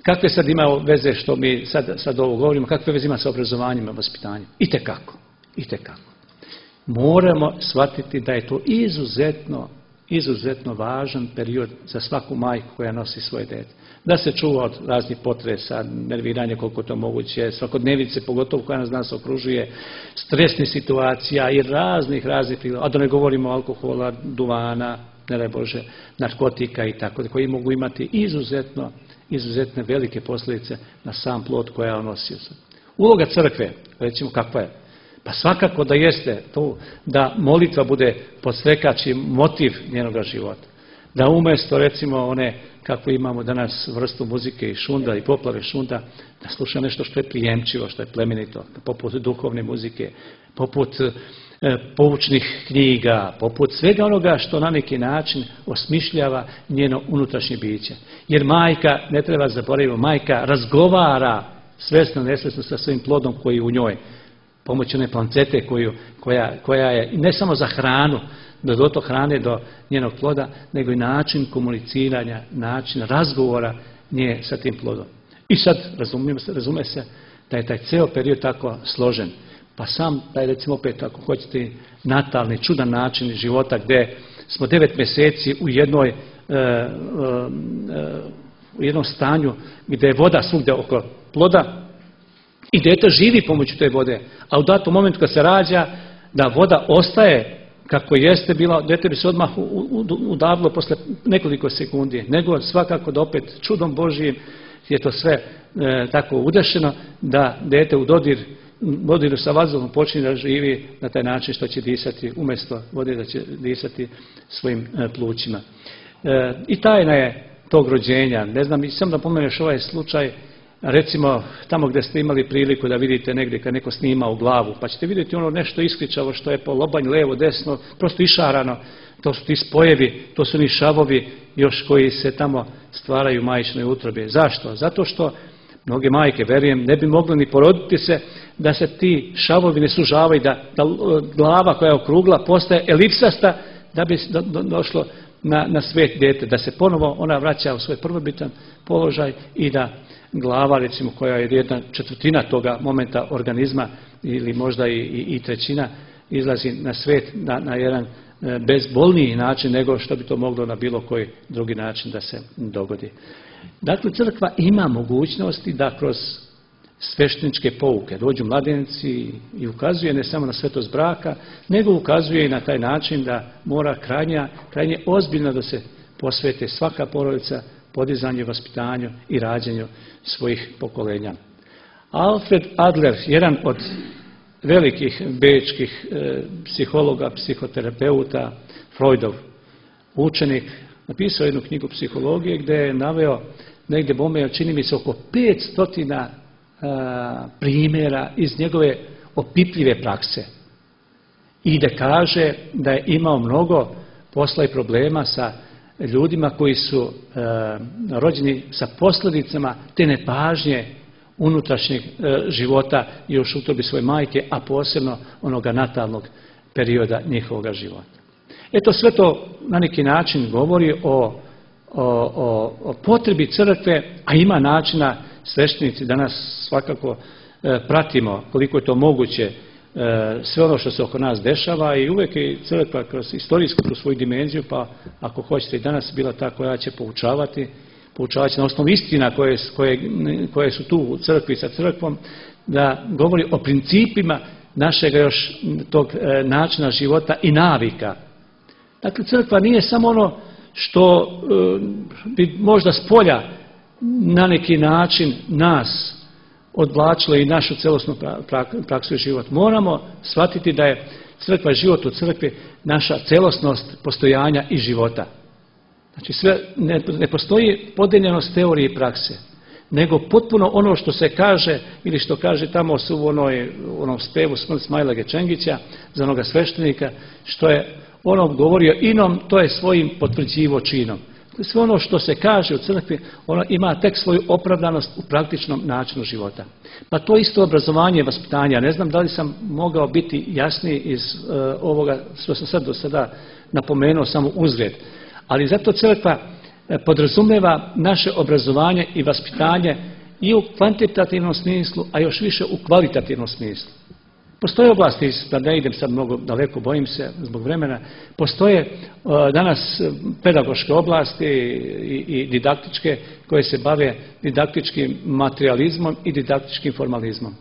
kakve sad ima veze što mi sad, sad ovo govorimo, kakve veze ima sa obrazovanjem i vaspitanjem? Itekako, itekako. Moramo shvatiti da je to izuzetno, izuzetno važan period za svaku majku koja nosi svoje dete. Da se čuva od raznih potresa, nerviranja koliko to moguće, svakodnevice, pogotovo koja nas danas okružuje, stresnih situacija i raznih, raznih, a da ne govorimo o alkohola, duvana, ne daj Bože, narkotika i tako, koji mogu imati izuzetno, izuzetne velike posljedice na sam plod koja on nosi. Uloga crkve, recimo kakva je? Pa svakako da jeste to da molitva bude podstrekač i motiv njenoga života. Da umjesto recimo one kako imamo danas vrstu muzike i šunda i poplave šunda, da sluša nešto što je prijemčivo, što je plemenito, poput duhovne muzike, poput e, poučnih knjiga, poput svega onoga što na neki način osmišljava njeno unutrašnje biće. Jer majka, ne treba zaboraviti, majka razgovara svesno, nesvesno sa svojim plodom koji je u njoj. Pomoću one plancete koju, koja, koja je ne samo za hranu, da do to hrane do njenog ploda, nego i način komuniciranja, način razgovora nje sa tim plodom. I sad razume se, razume se da je taj ceo period tako složen. Pa sam taj, recimo opet ako hoćete, natalni, čudan način života gdje smo devet mjeseci u jednoj, e, e, u jednom stanju gdje je voda svugdje oko ploda i dijete živi pomoću te vode, a u datom momentu kad se rađa, da voda ostaje kako jeste bila, dijete bi se odmah udavilo posle nekoliko sekundi, nego svakako da opet čudom Božijim je to sve e, tako udešeno da dijete u dodir, dodiru sa vazduhom počinje da živi na taj način što će disati umjesto vode, da će disati svojim e, plućima. E, I tajna je tog rođenja. Ne znam, i sam da pomeneš ovaj slučaj, recimo tamo gdje ste imali priliku da vidite negdje kad neko snima u glavu, pa ćete vidjeti ono nešto iskričavo što je po lobanj, levo, desno, prosto išarano, to su ti spojevi, to su ni šavovi još koji se tamo stvaraju u majčinoj utrobi. Zašto? Zato što mnoge majke, verujem, ne bi mogli ni poroditi se da se ti šavovi ne sužavaju, da, da glava koja je okrugla postaje elipsasta da bi do, do, došlo na, na svijet dijete, da se ponovo ona vraća u svoj prvobitan položaj i da glava, recimo, koja je jedna četvrtina toga momenta organizma ili možda i, i, i trećina, izlazi na svijet na, na jedan e, bezbolniji način nego što bi to moglo na bilo koji drugi način da se dogodi. Dakle, crkva ima mogućnosti da kroz svešteničke pouke dođu mladenici i ukazuje ne samo na svetost braka, nego ukazuje i na taj način da mora krajnje, krajnje ozbiljno da se posvete svaka porodica podizanju, vaspitanju i rađanju svojih pokolenja. Alfred Adler, jedan od velikih bečkih e, psihologa, psihoterapeuta, Freudov učenik, napisao jednu knjigu psihologije gdje je naveo negdje bome, čini mi se oko petsto primjera iz njegove opipljive prakse. I da kaže da je imao mnogo posla i problema sa ljudima koji su e, rođeni sa posljedicama te nepažnje unutrašnjeg e, života još u utrobi svoje majke, a posebno onoga natalnog perioda njihovog života. Eto, sve to na neki način govori o, o, o, o potrebi crkve, a ima načina, sveštenici danas svakako e, pratimo koliko je to moguće sve ono što se oko nas dešava i uvijek je crkva kroz istorijsku, kroz svoju dimenziju, pa ako hoćete i danas bila ta koja će poučavati, poučavati na osnovu istina koje, koje, koje su tu u crkvi sa crkvom, da govori o principima našeg još tog e, načina života i navika. Dakle, crkva nije samo ono što e, bi možda s polja na neki način nas odvlačilo i našu celosnu praksu i život. Moramo shvatiti da je crkva, život u crkvi, naša celosnost postojanja i života. Znači, sve, ne, ne postoji podeljenost teorije i prakse, nego potpuno ono što se kaže ili što kaže tamo su u onoj, onom spevu Smrt Smajla Gečengića za onoga sveštenika, što je ono govorio inom, to je svojim potvrđivo činom. Sve ono što se kaže u crkvi, ono ima tek svoju opravdanost u praktičnom načinu života. Pa to isto obrazovanje i vaspitanje. Ne znam da li sam mogao biti jasniji iz uh, ovoga što sam sad do sada napomenuo, samo uzgled. Ali zato crkva podrazumijeva naše obrazovanje i vaspitanje i u kvantitativnom smislu, a još više u kvalitativnom smislu. Postoje oblasti, da ne idem sad mnogo daleko, bojim se zbog vremena, postoje uh, danas pedagoške oblasti i, i didaktičke koje se bave didaktičkim materializmom i didaktičkim formalizmom.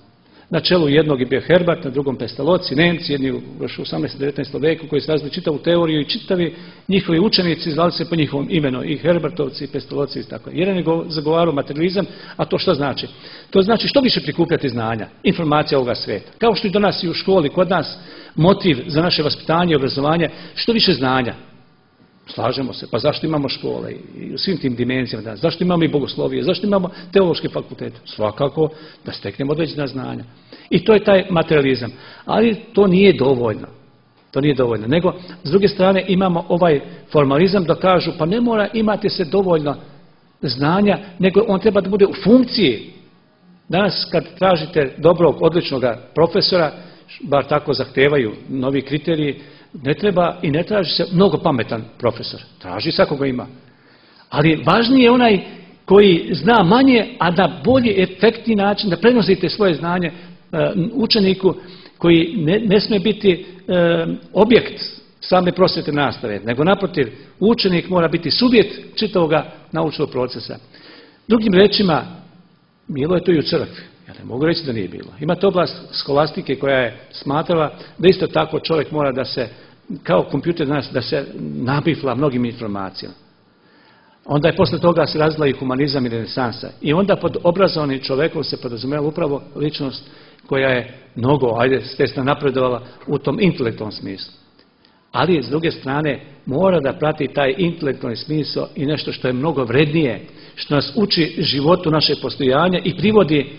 Na čelu jednog je bio Herbart, na drugom Pestalozzi, Nemci, jedni još u osamnaestom i devetnaestom veku koji su razvili čitavu teoriju i čitavi njihovi učenici zvali se po njihovom imenu, i Herbartovci i Pestalozzi i tako. Jedan je zagovarao materializam, a to što znači? To znači što više prikupljati znanja, informacija ovoga svijeta. Kao što i do nas i u školi, kod nas motiv za naše vaspitanje i obrazovanje, što više znanja. Slažemo se, pa zašto imamo škole i u svim tim dimenzijama danas, zašto imamo i bogoslovije, zašto imamo teološke fakultete? Svakako da steknemo određena znanja. I to je taj materializam. Ali to nije dovoljno. To nije dovoljno. Nego, s druge strane, imamo ovaj formalizam da kažu, pa ne mora imati se dovoljno znanja, nego on treba da bude u funkciji. Danas kad tražite dobrog, odličnog profesora, bar tako zahtevaju novi kriteriji, ne treba i ne traži se mnogo pametan profesor. Traži svakoga ima. Ali važniji je onaj koji zna manje, a na bolji, efektni način da prenosite svoje znanje učeniku koji ne, ne smije biti e, objekt same prosvjetne nastave, nego naprotiv, učenik mora biti subjekt čitavog naučnog procesa. Drugim rečima, bilo je to i u crkvi. Ja ne mogu reći da nije bilo. Imate oblast skolastike koja je smatrala da isto tako čovjek mora da se, kao kompjuter danas, da se nabifla mnogim informacijama. Onda je posle toga se razvila i humanizam i renesansa. I onda pod obrazovanim čovjekom se podrazumijela upravo ličnost koja je mnogo, ajde, stesno napredovala u tom intelektualnom smislu. Ali, s druge strane, mora da prati taj intelektualni smisao i nešto što je mnogo vrednije, što nas uči životu naše postojanja i privodi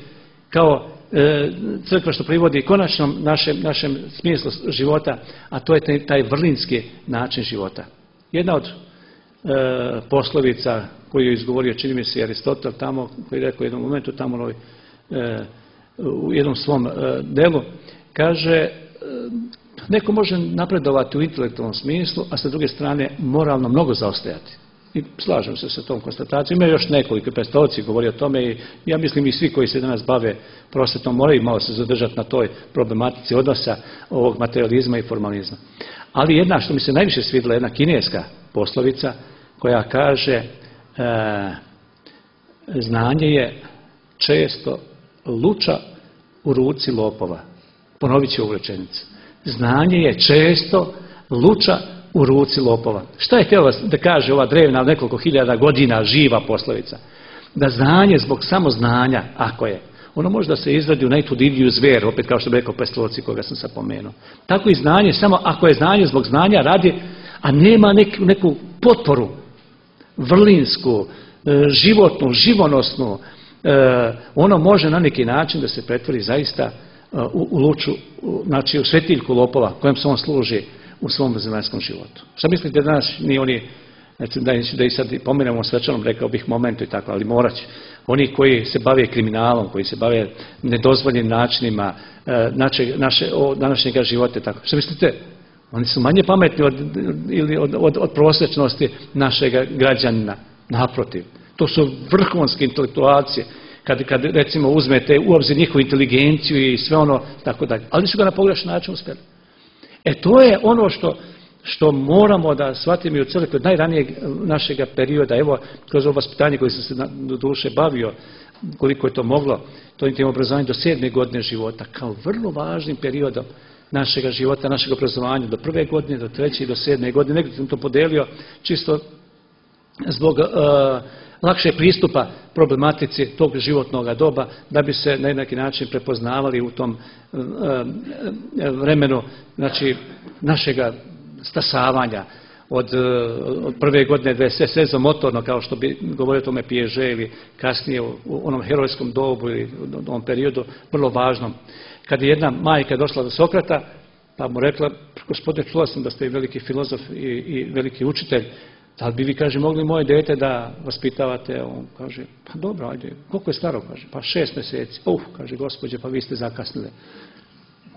kao e, crkva što privodi konačnom našem, našem smislu života, a to je taj, taj vrlinski način života. Jedna od e, poslovica koju je izgovorio, čini mi se, Aristotel tamo, koji je rekao u jednom momentu tamo e, u jednom svom e, delu, kaže e, neko može napredovati u intelektualnom smislu, a sa druge strane moralno mnogo zaostajati. I slažem se sa tom konstatacijom. Ima još nekoliko, Pestalozzi govori o tome i ja mislim i svi koji se danas bave prosvetom moraju malo se zadržati na toj problematici odnosa ovog materializma i formalizma. Ali jedna što mi se najviše svidjela, jedna kineska poslovica koja kaže e, znanje je često luča u ruci lopova. Ponovit ću ovu rečenicu. Znanje je često luča u ruci lopova. Šta je htjela da kaže ova drevna nekoliko hiljada godina živa poslovica? Da znanje zbog samo znanja, ako je, ono može da se izradi u najtudiviju zveru, opet kao što bi rekao Pestalozzi koga sam sad pomenuo. Tako i znanje, samo ako je znanje zbog znanja radi, a nema neku, neku potporu vrlinsku, životnu, živonosnu, ono može na neki način da se pretvori zaista u, u luču, znači u svetiljku lopova kojem se on služi u svom zemaljskom životu. Šta mislite danas, ni oni, da, da i sad pomenemo svečanom, rekao bih momentu i tako, ali morat će. Oni koji se bave kriminalom, koji se bave nedozvoljenim načinima naše, naše, današnjega života i tako. Šta mislite? Oni su manje pametni od, ili od, od, od prosječnosti našeg građanina. Naprotiv. To su vrhunske intelektualci. Kad, kad recimo uzmete u obzir njihovu inteligenciju i sve ono tako dalje. Ali su ga na pogrešan način uspjeli. E to je ono što, što moramo da shvatimo i u crkvi od najranijeg našeg perioda. Evo, kroz ovo vaspitanje koje sam se do duše bavio, koliko je to moglo, to je obrazovanje do sedme godine života, kao vrlo važnim periodom našeg života, našeg obrazovanja, do prve godine, do treće i do sedme godine. Negdje sam to podelio čisto zbog uh, lakše pristupa problematici tog životnog doba, da bi se na neki način prepoznavali u tom uh, vremenu, znači, našega stasavanja od, uh, od prve godine da je sve srezo motorno, kao što bi govorio o tome Piaget, ili kasnije u, u onom herojskom dobu ili u onom periodu vrlo važnom. Kad je jedna majka došla do Sokrata, pa mu rekla, gospodine, čula sam da ste i veliki filozof i, i veliki učitelj, da li bi vi, kaže, mogli moje dete da vaspitavate? On kaže, pa dobro, ajde, koliko je staro? Kaže, pa šest mjeseci. Uf, kaže, gospođe, pa vi ste zakasnili.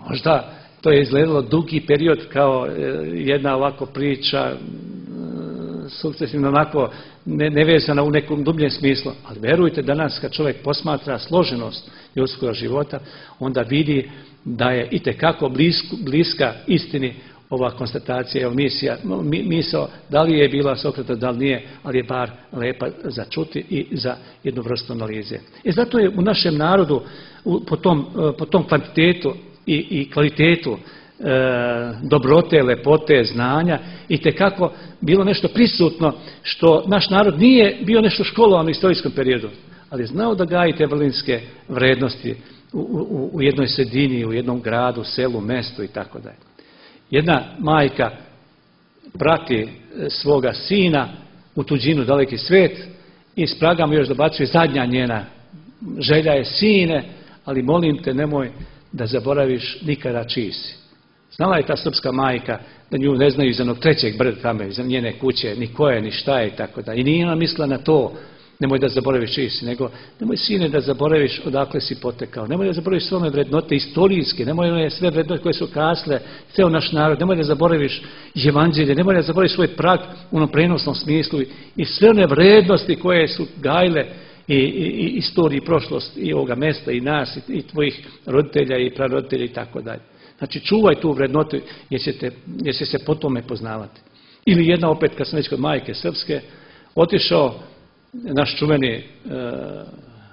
Možda to je izgledalo dugi period kao jedna ovako priča, sukcesivno onako nevezana u nekom dubljem smislu. Ali verujte, danas kad čovjek posmatra složenost ljudskog života, onda vidi da je itekako bliska istini ova konstatacija, evo misija, misao, da li je bila Sokrata, da li nije, ali je bar lepa za čuti i za jednu vrstu analize. E zato je u našem narodu po tom, po tom kvantitetu i, i kvalitetu e, dobrote, lepote, znanja i tekako bilo nešto prisutno što naš narod nije bio nešto školovan u istorijskom periodu, ali je znao da gaji te vrlinske vrednosti u, u, u jednoj sredini, u jednom gradu, selu, mestu i tako dalje. Jedna majka prati svoga sina u tuđinu, daleki svet i s praga mu još dobacuje zadnja njena želja je: sine, ali molim te nemoj da zaboraviš nikada čiji si. Znala je ta srpska majka da nju ne znaju iz onog trećeg brda tamo, iz njene kuće, ni ko je, ni šta je i tako da. I nije ona mislila na to, nemoj da zaboraviš čiji si, nego nemoj sine da zaboraviš odakle si potekao, nemoj da zaboraviš sve one vrednote istorijske, nemoj one sve vrednote koje su kasle ceo naš narod, nemoj da zaboraviš evanđelje, nemoj da zaboraviš svoj prag u onom prenosnom smislu i sve one vrednosti koje su gajile i, i, i istoriji i prošlost i ovoga mesta i nas i, i tvojih roditelja i praroditelja i tako dalje. Znači čuvaj tu vrednotu jer ćete, jer će se po tome poznavati. Ili jedna opet, kad sam već kod majke srpske, otišao naš čuveni e,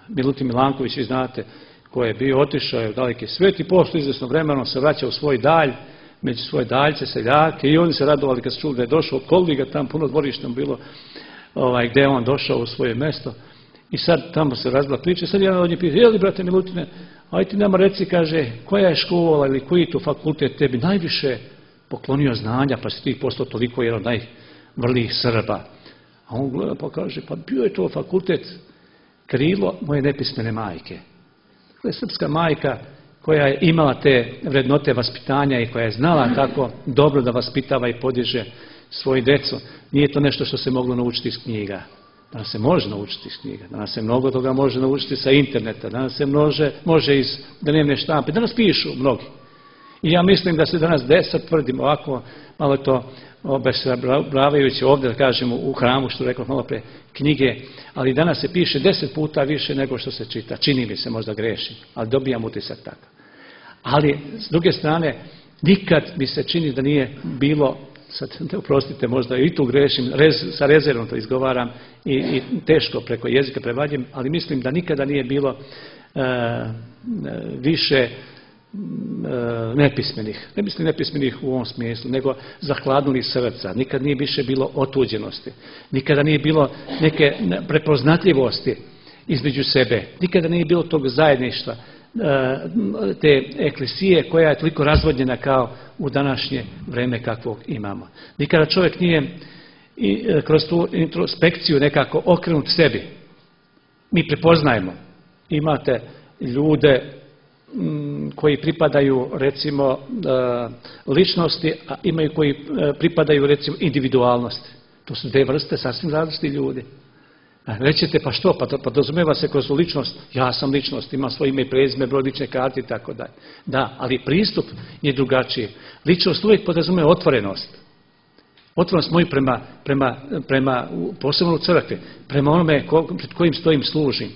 Milutin Milanković, vi znate, koji je bio, otišao je u daleki svijet i posle izvesno vremena se vraća u svoj dalj, među svoje daljce, seljake, i oni se radovali kad su čuli da je došao, okoli ga tam puno dvorištem bilo, ovaj, gde je on došao u svoje mesto. I sad tamo se razvila priča, sad jedan od njih pita: je li, brate Milutine, aj ti nama reci, kaže, koja je škola ili koji tu fakultet tebi najviše poklonio znanja, pa si ti postao toliko jedan od najvrlijih Srba. A on gleda pa kaže: pa bio je to fakultet krilo moje nepismene majke. To je srpska majka koja je imala te vrednote vaspitanja i koja je znala kako dobro da vaspitava i podiže svoju decu. Nije to nešto što se moglo naučiti iz knjiga. Danas se može naučiti iz knjiga, danas se mnogo toga može naučiti sa interneta, danas se može, može iz dnevne štampe, danas pišu mnogi. I ja mislim da se danas deset, tvrdim ovako, malo to obeshrabrujući ovdje, da kažemo, u hramu, što rekao malo pre, knjige, ali danas se piše deset puta više nego što se čita. Čini mi se, možda grešim, ali dobijam utisak tako. Ali, s druge strane, nikad mi se čini da nije bilo, sad oprostite, možda i tu grešim, rez, sa rezervom to izgovaram i, i teško preko jezika prevadim, ali mislim da nikada nije bilo e, više nepismenih, ne mislim nepismenih u ovom smislu, nego zahladnulih srca. Nikad nije više bilo otuđenosti, nikada nije bilo neke prepoznatljivosti između sebe, nikada nije bilo tog zajedništva, te eklesije koja je toliko razvodnjena kao u današnje vreme kakvog imamo. Nikada čovjek nije i kroz tu introspekciju nekako okrenut sebi. Mi prepoznajemo, imate ljude koji pripadaju recimo ličnosti, a imaju koji pripadaju recimo individualnosti. To su dve vrste sasvim različiti ljudi. Rećete, pa što, pa to podrazumijeva se kroz ličnost, ja sam ličnost, imam svoje ime i prezime, broj lične karte i tako dalje. Da, ali pristup je drugačiji. Ličnost uvijek podrazumijeva otvorenost. Otvorenost moju prema, prema, prema posebno u crkvi, prema onome ko, pred kojim stojim služim,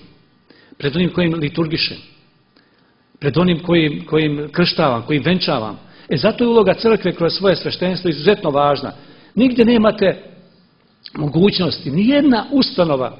pred onim kojim liturgišem, pred onim kojim, kojim krštavam, kojim venčavam. E zato je uloga crkve kroz svoje sveštenstvo izuzetno važna. Nigdje nemate mogućnosti, nijedna ustanova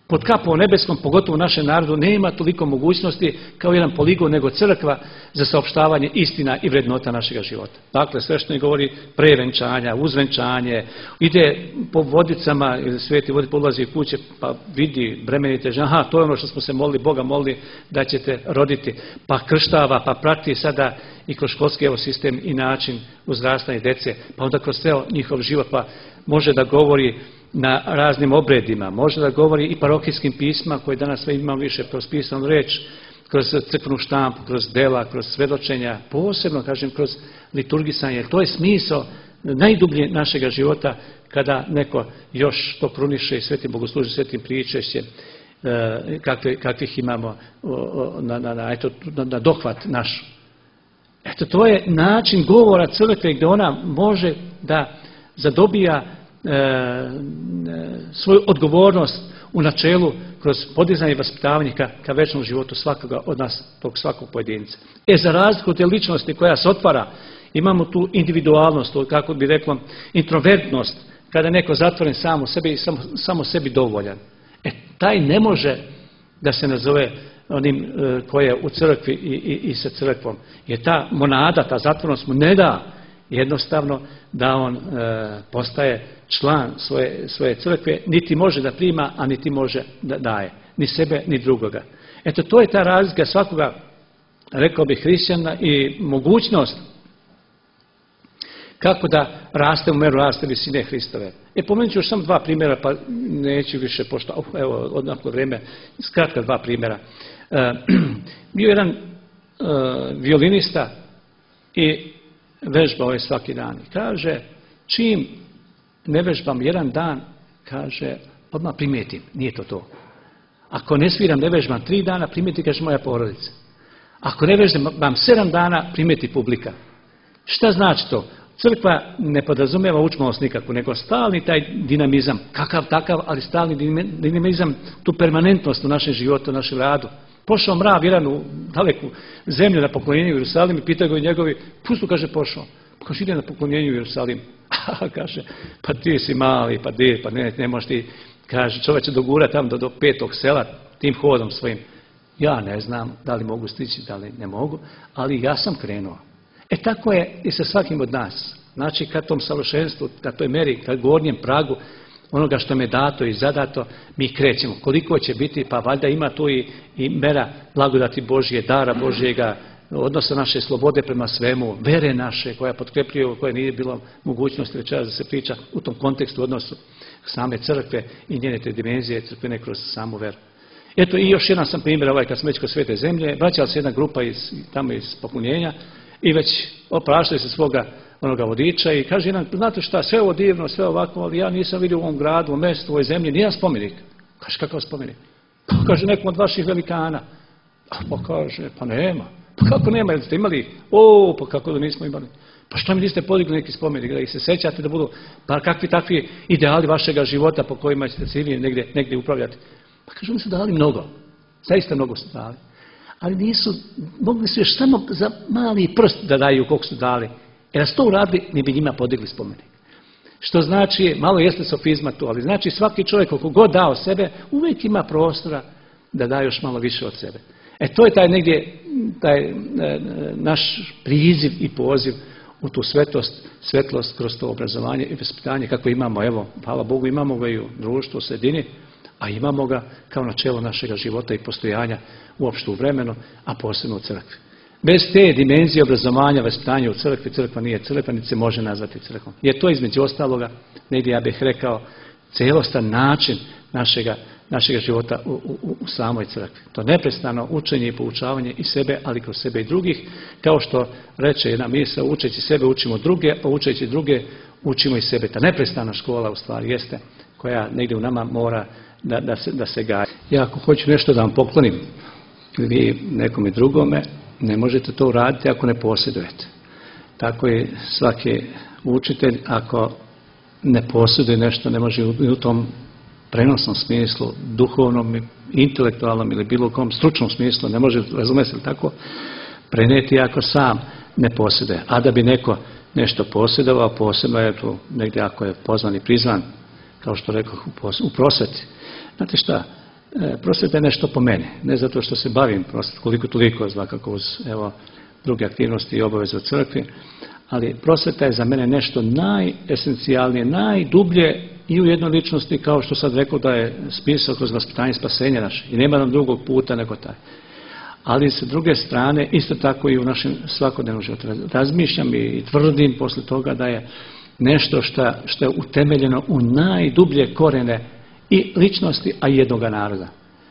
pod kapom nebeskom, pogotovo u našem narodu, nema toliko mogućnosti kao jedan poligon nego crkva za saopštavanje istina i vrednota našeg života. Dakle, sve što mi govori pre venčanja, uz venčanje, ide po vodicama, ili sveti voditelj ulazi u kuće, pa vidi bremenite žene, aha, to je ono što smo se molili, Boga molili da ćete roditi, pa krštava, pa prati sada i kroz školski evo sistem i način uzrastanja djece, pa onda kroz ceo njihov život, pa može da govori na raznim obredima, može da govori i parohijskim pisma koje danas sve imamo više kroz pisanu reč, kroz crkvenu štampu, kroz dela, kroz svedočenja, posebno kažem kroz liturgisanje. To je smisao najdublje našega života kada neko još to kruniše i svetim bogoslužim, svetim pričešćem kakve, kakvih imamo na, na, na, eto, na, na dohvat naš. Eto, to je način govora crkve gdje ona može da zadobija E, e, svoju odgovornost u načelu kroz podizanje i vaspitavanje ka, ka večnom životu svakoga od nas, tog svakog pojedinca. E za razliku od te ličnosti koja se otvara Imamo tu individualnost, kako bi reklo, introvertnost, kada je neko zatvoren sam u sebi i samo, samo sebi dovoljan. E, taj ne može da se nazove onim e, koji je u crkvi i, i, i sa crkvom. Jer ta monada, ta zatvornost mu ne da jednostavno da on e, postaje član svoje, svoje crkve, niti može da prima, a niti može da daje. Ni sebe, ni drugoga. Eto, to je ta razlika svakoga, rekao bih, hrišćana i mogućnost kako da raste u meru raste visine Hristove. E, pomenut ću još samo dva primjera, pa neću više, pošto, evo, odnako vrijeme, skratka dva primjera. E, bio jedan e, violinista i vežbao je svaki dan. I kaže, čim ne vežbam jedan dan, kaže, odmah primijetim, nije to to. Ako ne sviram, ne vežbam tri dana, primijeti, kaže, moja porodica. Ako ne vežbam sedam dana, primijeti publika. Šta znači to? Crkva ne podrazumijeva učmalost nikakvu, nego stalni taj dinamizam, kakav takav, ali stalni dinamizam, tu permanentnost u našem životu, u našem radu. Pošao mrav jedan u daleku zemlju na poklonjenju u Jerusalim i pitaju ga njegovi, pusto, kaže, pošao. Pa kaže, ide na poklonjenju u Jerusalim. A kaže, pa ti si mali, pa di, pa ne, ne možeš ti, kaže, čovjek će dogura tamo do, do petog sela tim hodom svojim. Ja ne znam da li mogu stići, da li ne mogu, ali ja sam krenuo. E tako je i sa svakim od nas. Znači, kad tom savršenstvu, kad toj meri, kad gornjem pragu onoga što me dato i zadato, mi krećemo. Koliko će biti, pa valjda ima tu i, i mera blagodati Božje, dara Božjega, odnosa naše slobode prema svemu, vere naše koja potkrepljuje, koja nije bilo mogućnosti večeras da se priča u tom kontekstu odnosu same crkve i njene te dimenzije crkvene kroz samu veru. Eto, i još jedan sam primjer, ovaj, kad smo već kod Svete zemlje, vraćala se jedna grupa iz, tamo iz poklonjenja i već opraštali se svoga onoga vodiča i kaže jedan, znate šta, sve ovo divno, sve ovako, ali ja nisam vidio u ovom gradu, u ovom mjestu, u ovoj zemlji, nijedan spomenik. Kaže, kakav spomenik? Pa kaže, nekom od vaših velikana. Pa kaže, pa nema. Pa kako nema, jel ste imali? O, pa kako da nismo imali? Pa što mi niste podigli neki spomenik, da ih se sećate da budu, pa kakvi takvi ideali vašega života po kojima ćete se vi negdje, negdje upravljati? Pa kaže, oni su dali mnogo, zaista mnogo su dali. Ali nisu, mogli su još samo za mali prst da daju koliko su dali. Jer da su to uradili, mi bi njima podigli spomenik. Što znači, malo jeste sofizma tu, ali znači svaki čovjek koliko god dao sebe, uvijek ima prostora da da još malo više od sebe. E to je taj negdje, taj e, naš priziv i poziv u tu svetost, svetlost kroz to obrazovanje i vaspitanje kako imamo, evo, hvala Bogu, imamo ga i u društvu, u sredini, a imamo ga kao načelo našega života i postojanja uopšte u vremenu, a posebno u crkvi. Bez te dimenzije obrazovanja, vaspitanja u crkvi, crkva nije crkva, niti se može nazvati crkvom. Jer to između ostaloga, negdje ja bih rekao, celostan način našega, našega života u, u, u samoj crkvi. To neprestano učenje i poučavanje i sebe, ali kroz sebe i drugih, kao što reče jedna misao, učeći sebe učimo druge, pa učeći druge učimo i sebe. Ta neprestana škola u stvari jeste, koja negdje u nama mora da, da, se, da se gaji. Ja ako hoću nešto da vam poklonim, vi nekome drugome, ne možete to uraditi ako ne posjedujete. Tako i svaki učitelj, ako ne posjeduje nešto, ne može u tom prenosnom smislu, duhovnom, intelektualnom ili bilo kom stručnom smislu, ne može, razumjeti li tako, prenijeti ako sam ne posjeduje. A da bi neko nešto posjedovao, posebno je tu negdje ako je pozvan i prizvan, kao što rekao u prosveti. Znate šta? Prosveta je nešto po meni, ne zato što se bavim prosvetom, koliko toliko, svakako uz evo, druge aktivnosti i obaveze u crkvi, ali prosveta je za mene nešto najesencijalnije, najdublje i u jednoj ličnosti, kao što sad rekao da je smisao kroz vaspitanje spasenja naše i nema nam drugog puta nego taj. Ali s druge strane, isto tako i u našem svakodnevnom životu. Razmišljam i tvrdim posle toga da je nešto što, što je utemeljeno u najdublje korene i ličnosti, a i jednoga naroda.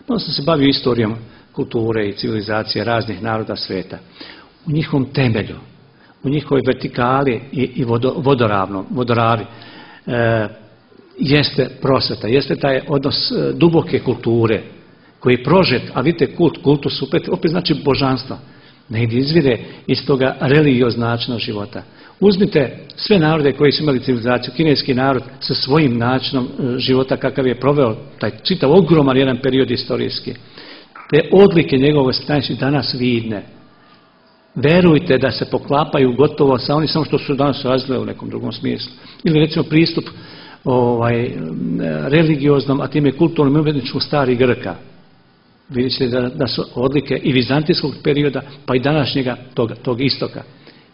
Onda sam se bavio istorijom kulture i civilizacije raznih naroda sveta. U njihovom temelju, u njihovoj vertikali i, i vodo, vodoravno, vodoravi, e, jeste prosveta, jeste taj odnos e, duboke kulture, koji je prožet, a vidite kult, kultus opet, opet znači božanstvo. Negdje izvire iz toga religioznačnog života. Uzmite sve narode koji su imali civilizaciju, kineski narod sa svojim načinom života kakav je proveo taj čitav ogroman jedan period istorijski. Te odlike njegovog stanja su danas vidne. verujte da se poklapaju gotovo sa onim samo što su danas razvile u nekom drugom smislu. Ili recimo pristup ovaj, religioznom, a time kulturnom i umjetničkom starih Grka. Vidjet ćete da, da su odlike i vizantijskog perioda, pa i današnjega tog, tog istoka.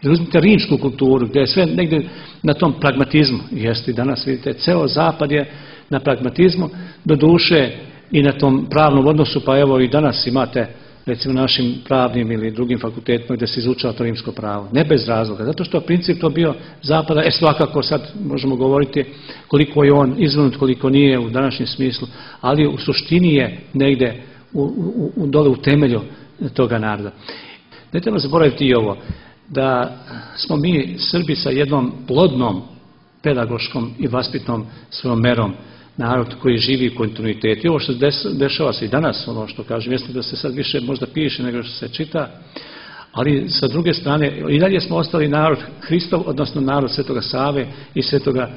Ili uzmite rimsku kulturu, gdje je sve negdje na tom pragmatizmu. Jeste i danas, vidite, ceo zapad je na pragmatizmu, do duše i na tom pravnom odnosu, pa evo i danas imate, recimo našim pravnim ili drugim fakultetima gdje se izučava to rimsko pravo. Ne bez razloga, zato što princip to bio zapada, e svakako sad možemo govoriti koliko je on izvrnut, koliko nije u današnjem smislu, ali u suštini je negdje u, u, u, dole u temelju toga naroda. Ne treba zaboraviti i ovo, da smo mi Srbi sa jednom plodnom pedagoškom i vaspitnom svojom merom narod koji živi u kontinuitetu. I ovo što dešava se i danas, ono što kažem, jeste da se sad više možda piše nego što se čita, ali sa druge strane i dalje smo ostali narod Hristov, odnosno narod Svetoga Save i Svetoga e,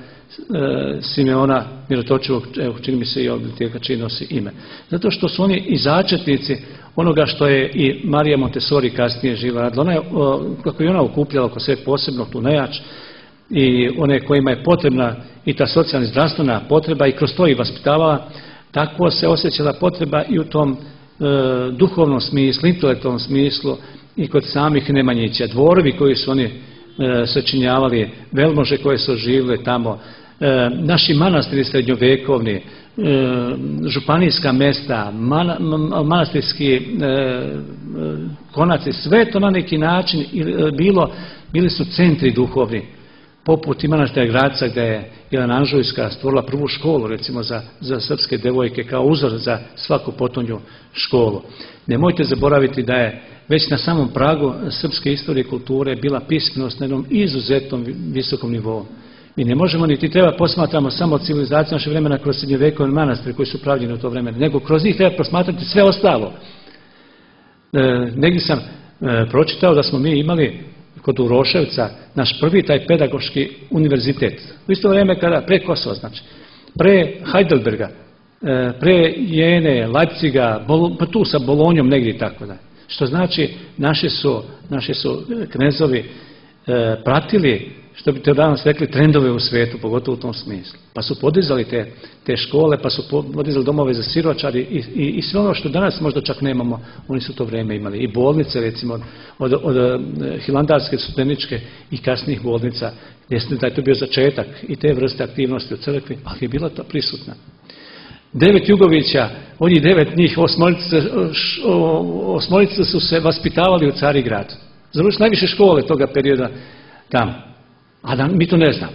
Simeona Mirotočivog, evo čini mi se i ovdje čiji nosi ime. Zato što su oni i začetnici onoga što je i Marija Montessori kasnije živa radila. Ona je, o, kako je ona okupljala oko sve posebno tu nejač i one kojima je potrebna i ta socijalna i zdravstvena potreba i kroz to i vaspitavala, tako se osjećala potreba i u tom e, duhovnom smislu, intelektualnom smislu i kod samih Nemanjića. Dvorovi koji su oni e, sačinjavali, velmože koje su živjeli tamo, e, naši manastiri srednjovekovni, e, županijska mesta, man, manastirski e, konaci, sve to na neki način bilo, bili su centri duhovni. Poput i manastira Gradca gdje je Jelena Anžujska stvorila prvu školu recimo za, za srpske devojke kao uzor za svaku potonju školu. Nemojte zaboraviti da je već na samom pragu srpske istorije i kulture bila pismenost na jednom izuzetnom visokom nivou. Mi ne možemo niti treba posmatramo samo civilizaciju naše vremena kroz srednjovekovne manastire koji su pravljeni u to vremena, nego kroz njih treba posmatrati sve ostalo. E, negdje sam e, pročitao da smo mi imali kod Uroševca naš prvi taj pedagoški univerzitet. U isto vrijeme kada pre Kosova, znači, pre Heidelberga, pre Jene, Leipziga, pa tu sa Bolonjom negdje i tako da. Što znači naši su, naši su knezovi pratili, što bi te danas rekli, trendove u svijetu, pogotovo u tom smislu. Pa su podizali te, te škole, pa su podizali domove za siročari i, i, i sve ono što danas možda čak nemamo, oni su to vrijeme imali. I bolnice, recimo, od, od, od hilandarske, studeničke i kasnijih bolnica, gdje da je to bio začetak i te vrste aktivnosti u crkvi, ali je bila to prisutna. Devet Jugovića, oni devet njih, osmorice, osmorice su se vaspitavali u Carigradu. Završili najviše škole toga perioda tamo. A da mi to ne znamo.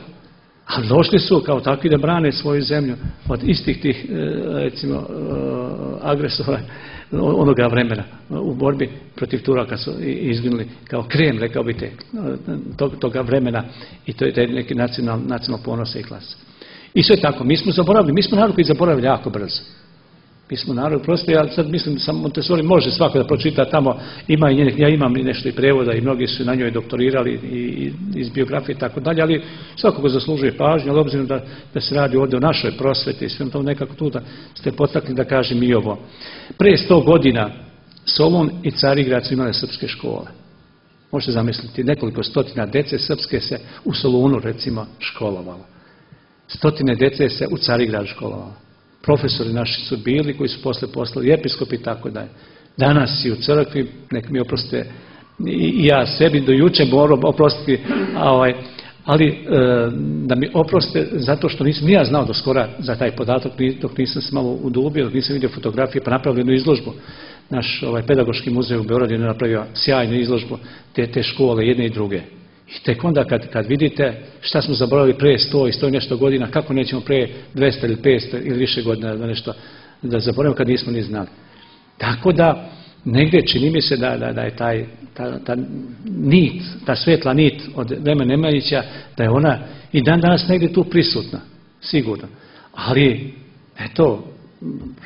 Ali došli su kao takvi da brane svoju zemlju od istih tih, recimo, agresora onoga vremena u borbi protiv Turaka su izginuli kao krem, rekao bi te, toga vremena i to je neki nacionalno nacional ponosa i klasa. I sve tako, mi smo zaboravili, mi smo narod koji zaboravili jako brzo. Mi smo narod, prosto ja sad mislim, sam Montessori može svako da pročita tamo, ima i njenih, ja imam i nešto i prevoda i mnogi su na njoj doktorirali i, i iz biografije i tako dalje, ali svakako zaslužuje pažnju, ali obzirom da, da se radi ovdje o našoj prosveti i svem tom nekako tu da ste potakli da kažem i ovo. Pre sto godina Solun i Carigrad su imali srpske škole. Možete zamisliti, nekoliko stotina dece srpske se u Solunu recimo školovalo. Stotine dece se u Carigradu školovalo. Profesori naši su bili koji su posle poslali episkopi i tako dalje. Danas i u crkvi, nek mi oprostite i ja sebi do juče moram oprostiti, ovaj, ali e, da mi oprostite zato što nisam ni ja znao do skora za taj podatak, dok nisam se malo udubio, dok nisam vidio fotografije pa napravio jednu izložbu. Naš ovaj, pedagoški muzej u Beogradu je napravio sjajnu izložbu te, te škole, jedne i druge. I tek onda kad, kad vidite šta smo zaboravili pre sto i sto i nešto godina, kako nećemo pre dvesta ili petsto ili više godina da nešto da zaboravimo kad nismo ni znali. Tako da negdje čini mi se da, da, da je taj, ta, ta nit, ta svetla nit od vremena Nemanjića, da je ona i dan danas negdje tu prisutna, sigurno. Ali, eto,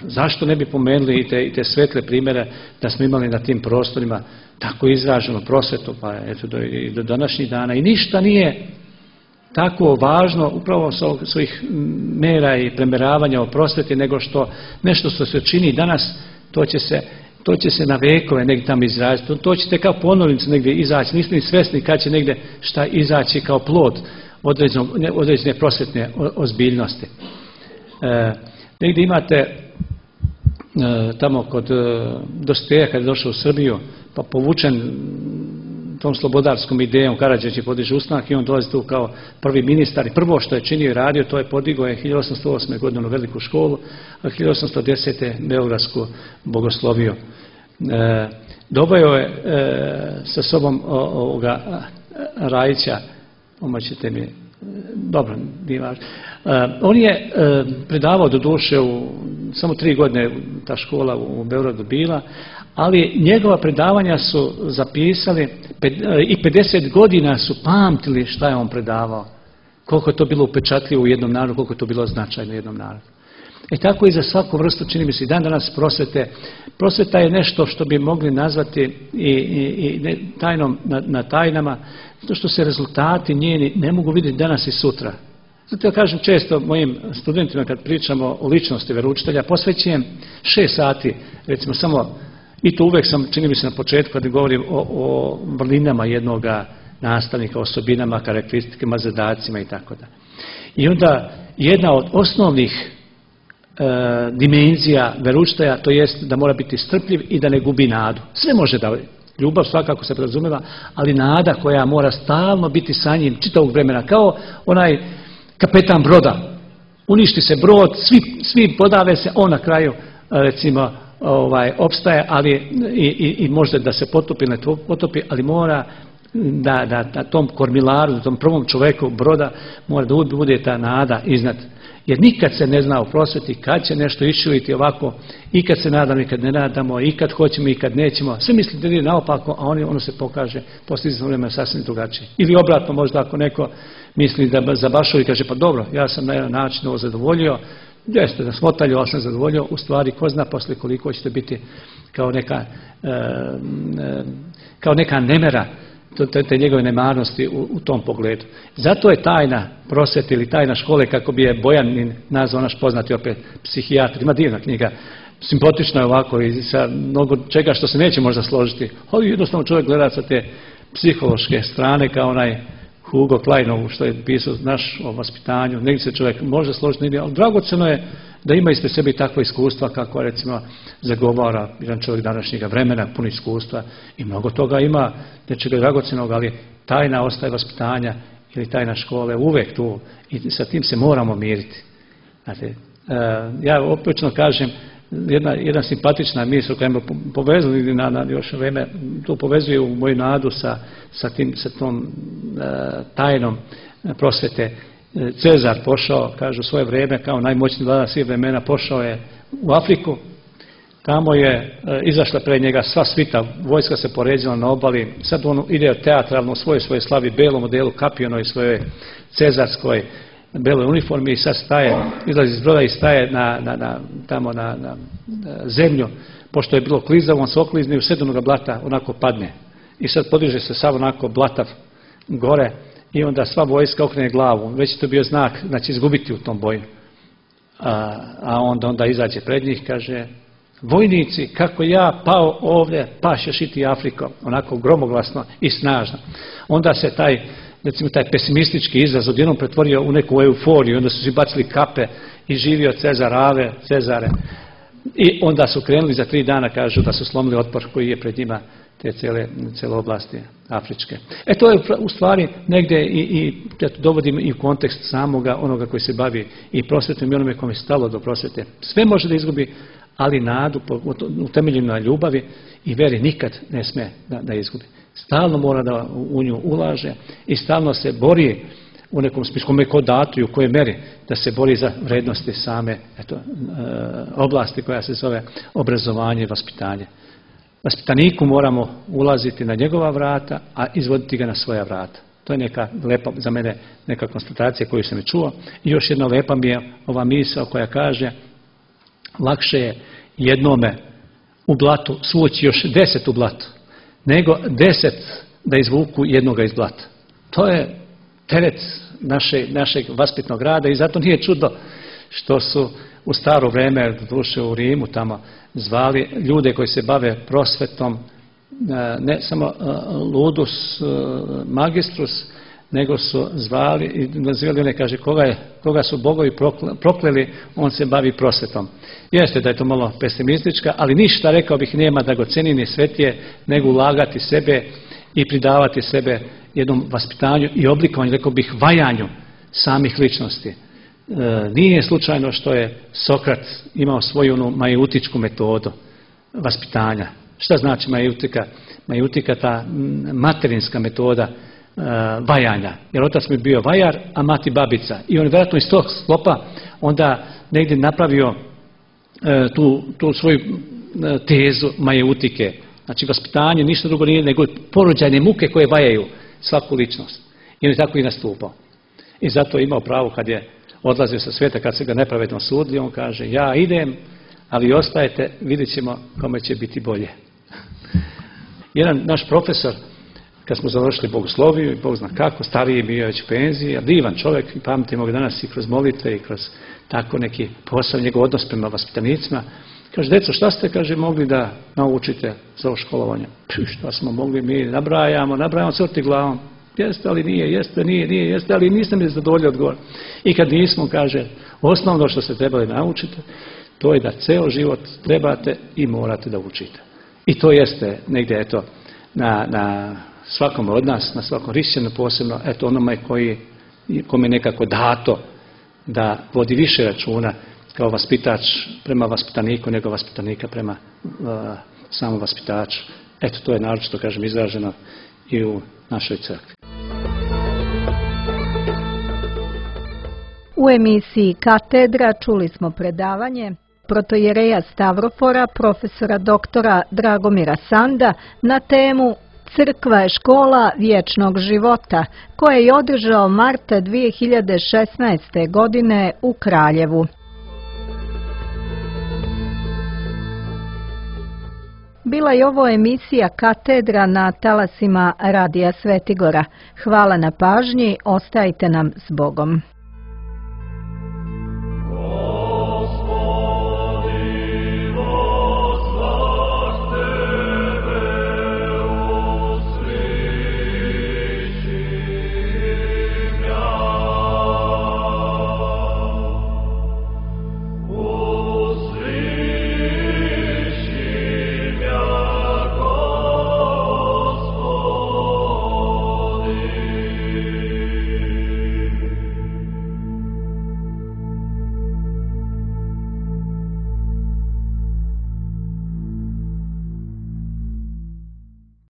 zašto ne bi pomenuli i te, i te svetle primjere da smo imali na tim prostorima tako izraženo prosvetu, pa eto do, i do današnjih dana. I ništa nije tako važno upravo s svojih mera i premeravanja o prosveti, nego što nešto što se čini danas, to će se to će se na vekove negdje tamo izraziti, to, to ćete kao ponovnicu negdje izaći, niste ni svjesni kad će negdje šta izaći kao plod određene prosvetne ozbiljnosti. E, negdje imate e, tamo kod e, Dostoja kad je došao u Srbiju, pa povučen tom slobodarskom idejom, Karađorđe podiže ustanak i on dolazi tu kao prvi ministar i prvo što je činio i radio, to je podigao je hiljadu osamsto osme. godine veliku školu, a hiljadu osamsto desete. Beogradsku bogosloviju. E, dobio je e, sa sobom o, ovoga Rajića, pomoćete mi, dobro, nije važno. E, on je e, predavao do duše u samo tri godine ta škola u Beogradu bila, ali njegova predavanja su zapisali i pedeset godina su pamtili šta je on predavao. Koliko je to bilo upečatljivo u jednom narodu, koliko je to bilo značajno u jednom narodu. I tako i za svaku vrstu, čini mi se i dan danas prosvete. Prosveta je nešto što bi mogli nazvati i, i, i ne, tajnom na, na tajnama, zato što se rezultati njeni ne mogu vidjeti danas i sutra. Zato ja kažem često mojim studentima kad pričamo o ličnosti veroučitelja, posvećujem šest sati, recimo samo, i to uvijek sam, čini mi se na početku kad govorim o, o vrlinama jednoga nastavnika, osobinama, karakteristikama, zadacima i tako da. I onda jedna od osnovnih e, dimenzija veroučitelja, to jest da mora biti strpljiv i da ne gubi nadu. Sve može da, ljubav svakako se podrazumijeva, ali nada koja mora stalno biti sa njim čitavog vremena, kao onaj kapetan broda. Uništi se brod, svi, svi podave se, on na kraju recimo ovaj, opstaje, ali i, i, i možda da se potopi, ne potopi, ali mora da, da, da tom kormilaru, da tom prvom čovjeku broda mora da bude ta nada iznad. Jer nikad se ne zna u prosveti kad će nešto iščiliti ovako, i kad se nadamo, i kad ne nadamo, i kad hoćemo, i kad nećemo. Sve mislite da je naopako, a on, ono se pokaže poslije izvjesnog vremena sasvim drugačije. Ili obratno, možda ako neko misli da zabašuje i kaže pa dobro, ja sam na jedan način ovo zadovoljio, jeste da smotalju, ali sam zadovoljio, u stvari ko zna poslije koliko ćete biti kao neka, e, e, kao neka nemera te, te njegove nemarnosti u, u tom pogledu. Zato je tajna prosvete ili tajna škole, kako bi je Bojanin nazvao, naš poznati opet psihijatar, ima divna knjiga, simpatična je ovako i sa mnogo čega što se neće možda složiti, ali jednostavno čovjek gleda sa te psihološke strane kao onaj Hugo Kleinovu što je pisao naš o vaspitanju, negdje se čovjek može složiti, negdje, ali dragoceno je da ima ispred sebi takva iskustva kako recimo zagovara jedan čovjek današnjega vremena, puno iskustva i mnogo toga ima nečega dragocenog, ali tajna ostaje vaspitanja ili tajna škole uvijek tu i sa tim se moramo miriti. Znate, ja opečno kažem, jedna, jedna simpatična misl koja me povezuje na, na još vreme, to povezuje u moju nadu sa, sa, tim, sa tom e, tajnom prosvete. Cezar pošao, kažu, svoje vrijeme kao najmoćniji vladar svih vremena, pošao je u Afriku, tamo je e, izašla pred njega sva svita, vojska se poređila na obali, sad on ide teatralno u svojoj svoje slavi, belom modelu, kapionoj svojoj cezarskoj beloj uniformi i sad staje, izlazi iz broda i staje na, na, na, tamo na, na, na zemlju, pošto je bilo klizavo, on se oklizne i u sedmoga blata onako padne. I sad podiže se sav onako blatav gore i onda sva vojska okrene glavu. Već je to bio znak, znači izgubiti u tom boju. A, a onda, onda izađe pred njih, kaže, vojnici, kako ja pao ovdje, pašeš i ti Afriko, onako gromoglasno i snažno. Onda se taj, recimo taj pesimistički izraz odjednom pretvorio u neku euforiju, onda su si bacili kape i živio Cezar Ave, Cezare. I onda su krenuli za tri dana, kažu da su slomili otpor koji je pred njima te cijele, cijele oblasti afričke. E to je u stvari negdje i, i dovodim i u kontekst samoga onoga koji se bavi i prosvetom i onome kome je stalo do prosvete. Sve može da izgubi, ali nadu utemeljenu na ljubavi i veri nikad ne sme da, da izgubi. Stalno mora da u nju ulaže i stalno se bori u nekom smislu, kome ko datu i u kojoj meri da se bori za vrednosti same eto, oblasti koja se zove obrazovanje i vaspitanje. Vaspitaniku moramo ulaziti na njegova vrata, a izvoditi ga na svoja vrata. To je neka lepa, za mene neka konstatacija koju sam je čuo. I još jedna lepa mi je ova misao koja kaže lakše je jednome u blatu svući još deset u blatu, nego deset da izvuku jednoga iz blata. To je teret naše, našeg vaspitnog rada i zato nije čudo što su u staro vrijeme, doduše u Rimu tamo, zvali ljude koji se bave prosvetom, ne samo ludus magistrus, nego su zvali i nazivali one, kaže, koga, je, koga su bogovi prokleli, on se bavi prosvetom. Jeste da je to malo pesimistička, ali ništa, rekao bih, nema dragocenije ni svetije nego ulagati sebe i pridavati sebe jednom vaspitanju i oblikovanju, rekao bih, vajanju samih ličnosti. E, nije slučajno što je Sokrat imao svoju onu majeutičku metodu vaspitanja. Šta znači majutika? Majutika, ta materinska metoda uh, vajanja. Jer otac mi bio vajar, a mati babica. I on je vjerojatno iz tog sklopa onda negdje napravio uh, tu, tu svoju uh, tezu majeutike. Znači vaspitanje ništa drugo nije nego porođajne muke koje vajaju svaku ličnost. I on je tako i nastupao. I zato je imao pravo kad je odlazio sa svijeta, kad se ga nepravedno sudili, on kaže, ja idem, ali ostajete, vidjet ćemo kome će biti bolje. Jedan naš profesor, kad smo završili bogosloviju i Bog zna kako, stariji bio već u penziji, a divan čovjek, i pamtimo ga danas i kroz molitve i kroz tako neki posao, njegov odnos prema vaspitanicima, kaže, deco, šta ste, kaže, mogli da naučite za ovo školovanje? Pš, šta smo mogli, mi nabrajamo, nabrajamo crti glavom. Jeste, ali nije, jeste, nije, nije, jeste, ali niste mi zadovoljili odgovor. I kad nismo, kaže, osnovno što ste trebali naučiti, to je da ceo život trebate i morate da učite. I to jeste negdje, eto, na, na svakom od nas, na svakom hrišćanu posebno, eto, onome koji, kome je nekako dato da vodi više računa kao vaspitač prema vaspitaniku nego vaspitanika prema uh, samom vaspitaču. Eto, to je naročito, kažem, izraženo i u našoj crkvi. U emisiji Katedra čuli smo predavanje protojereja Stavrofora, profesora doktora Dragomira Sanda na temu Crkva je škola vječnog života, koje je održao marta dvije hiljade šesnaeste. godine u Kraljevu. Bila je ovo emisija Katedra na talasima Radija Svetigora. Hvala na pažnji, ostajte nam s Bogom.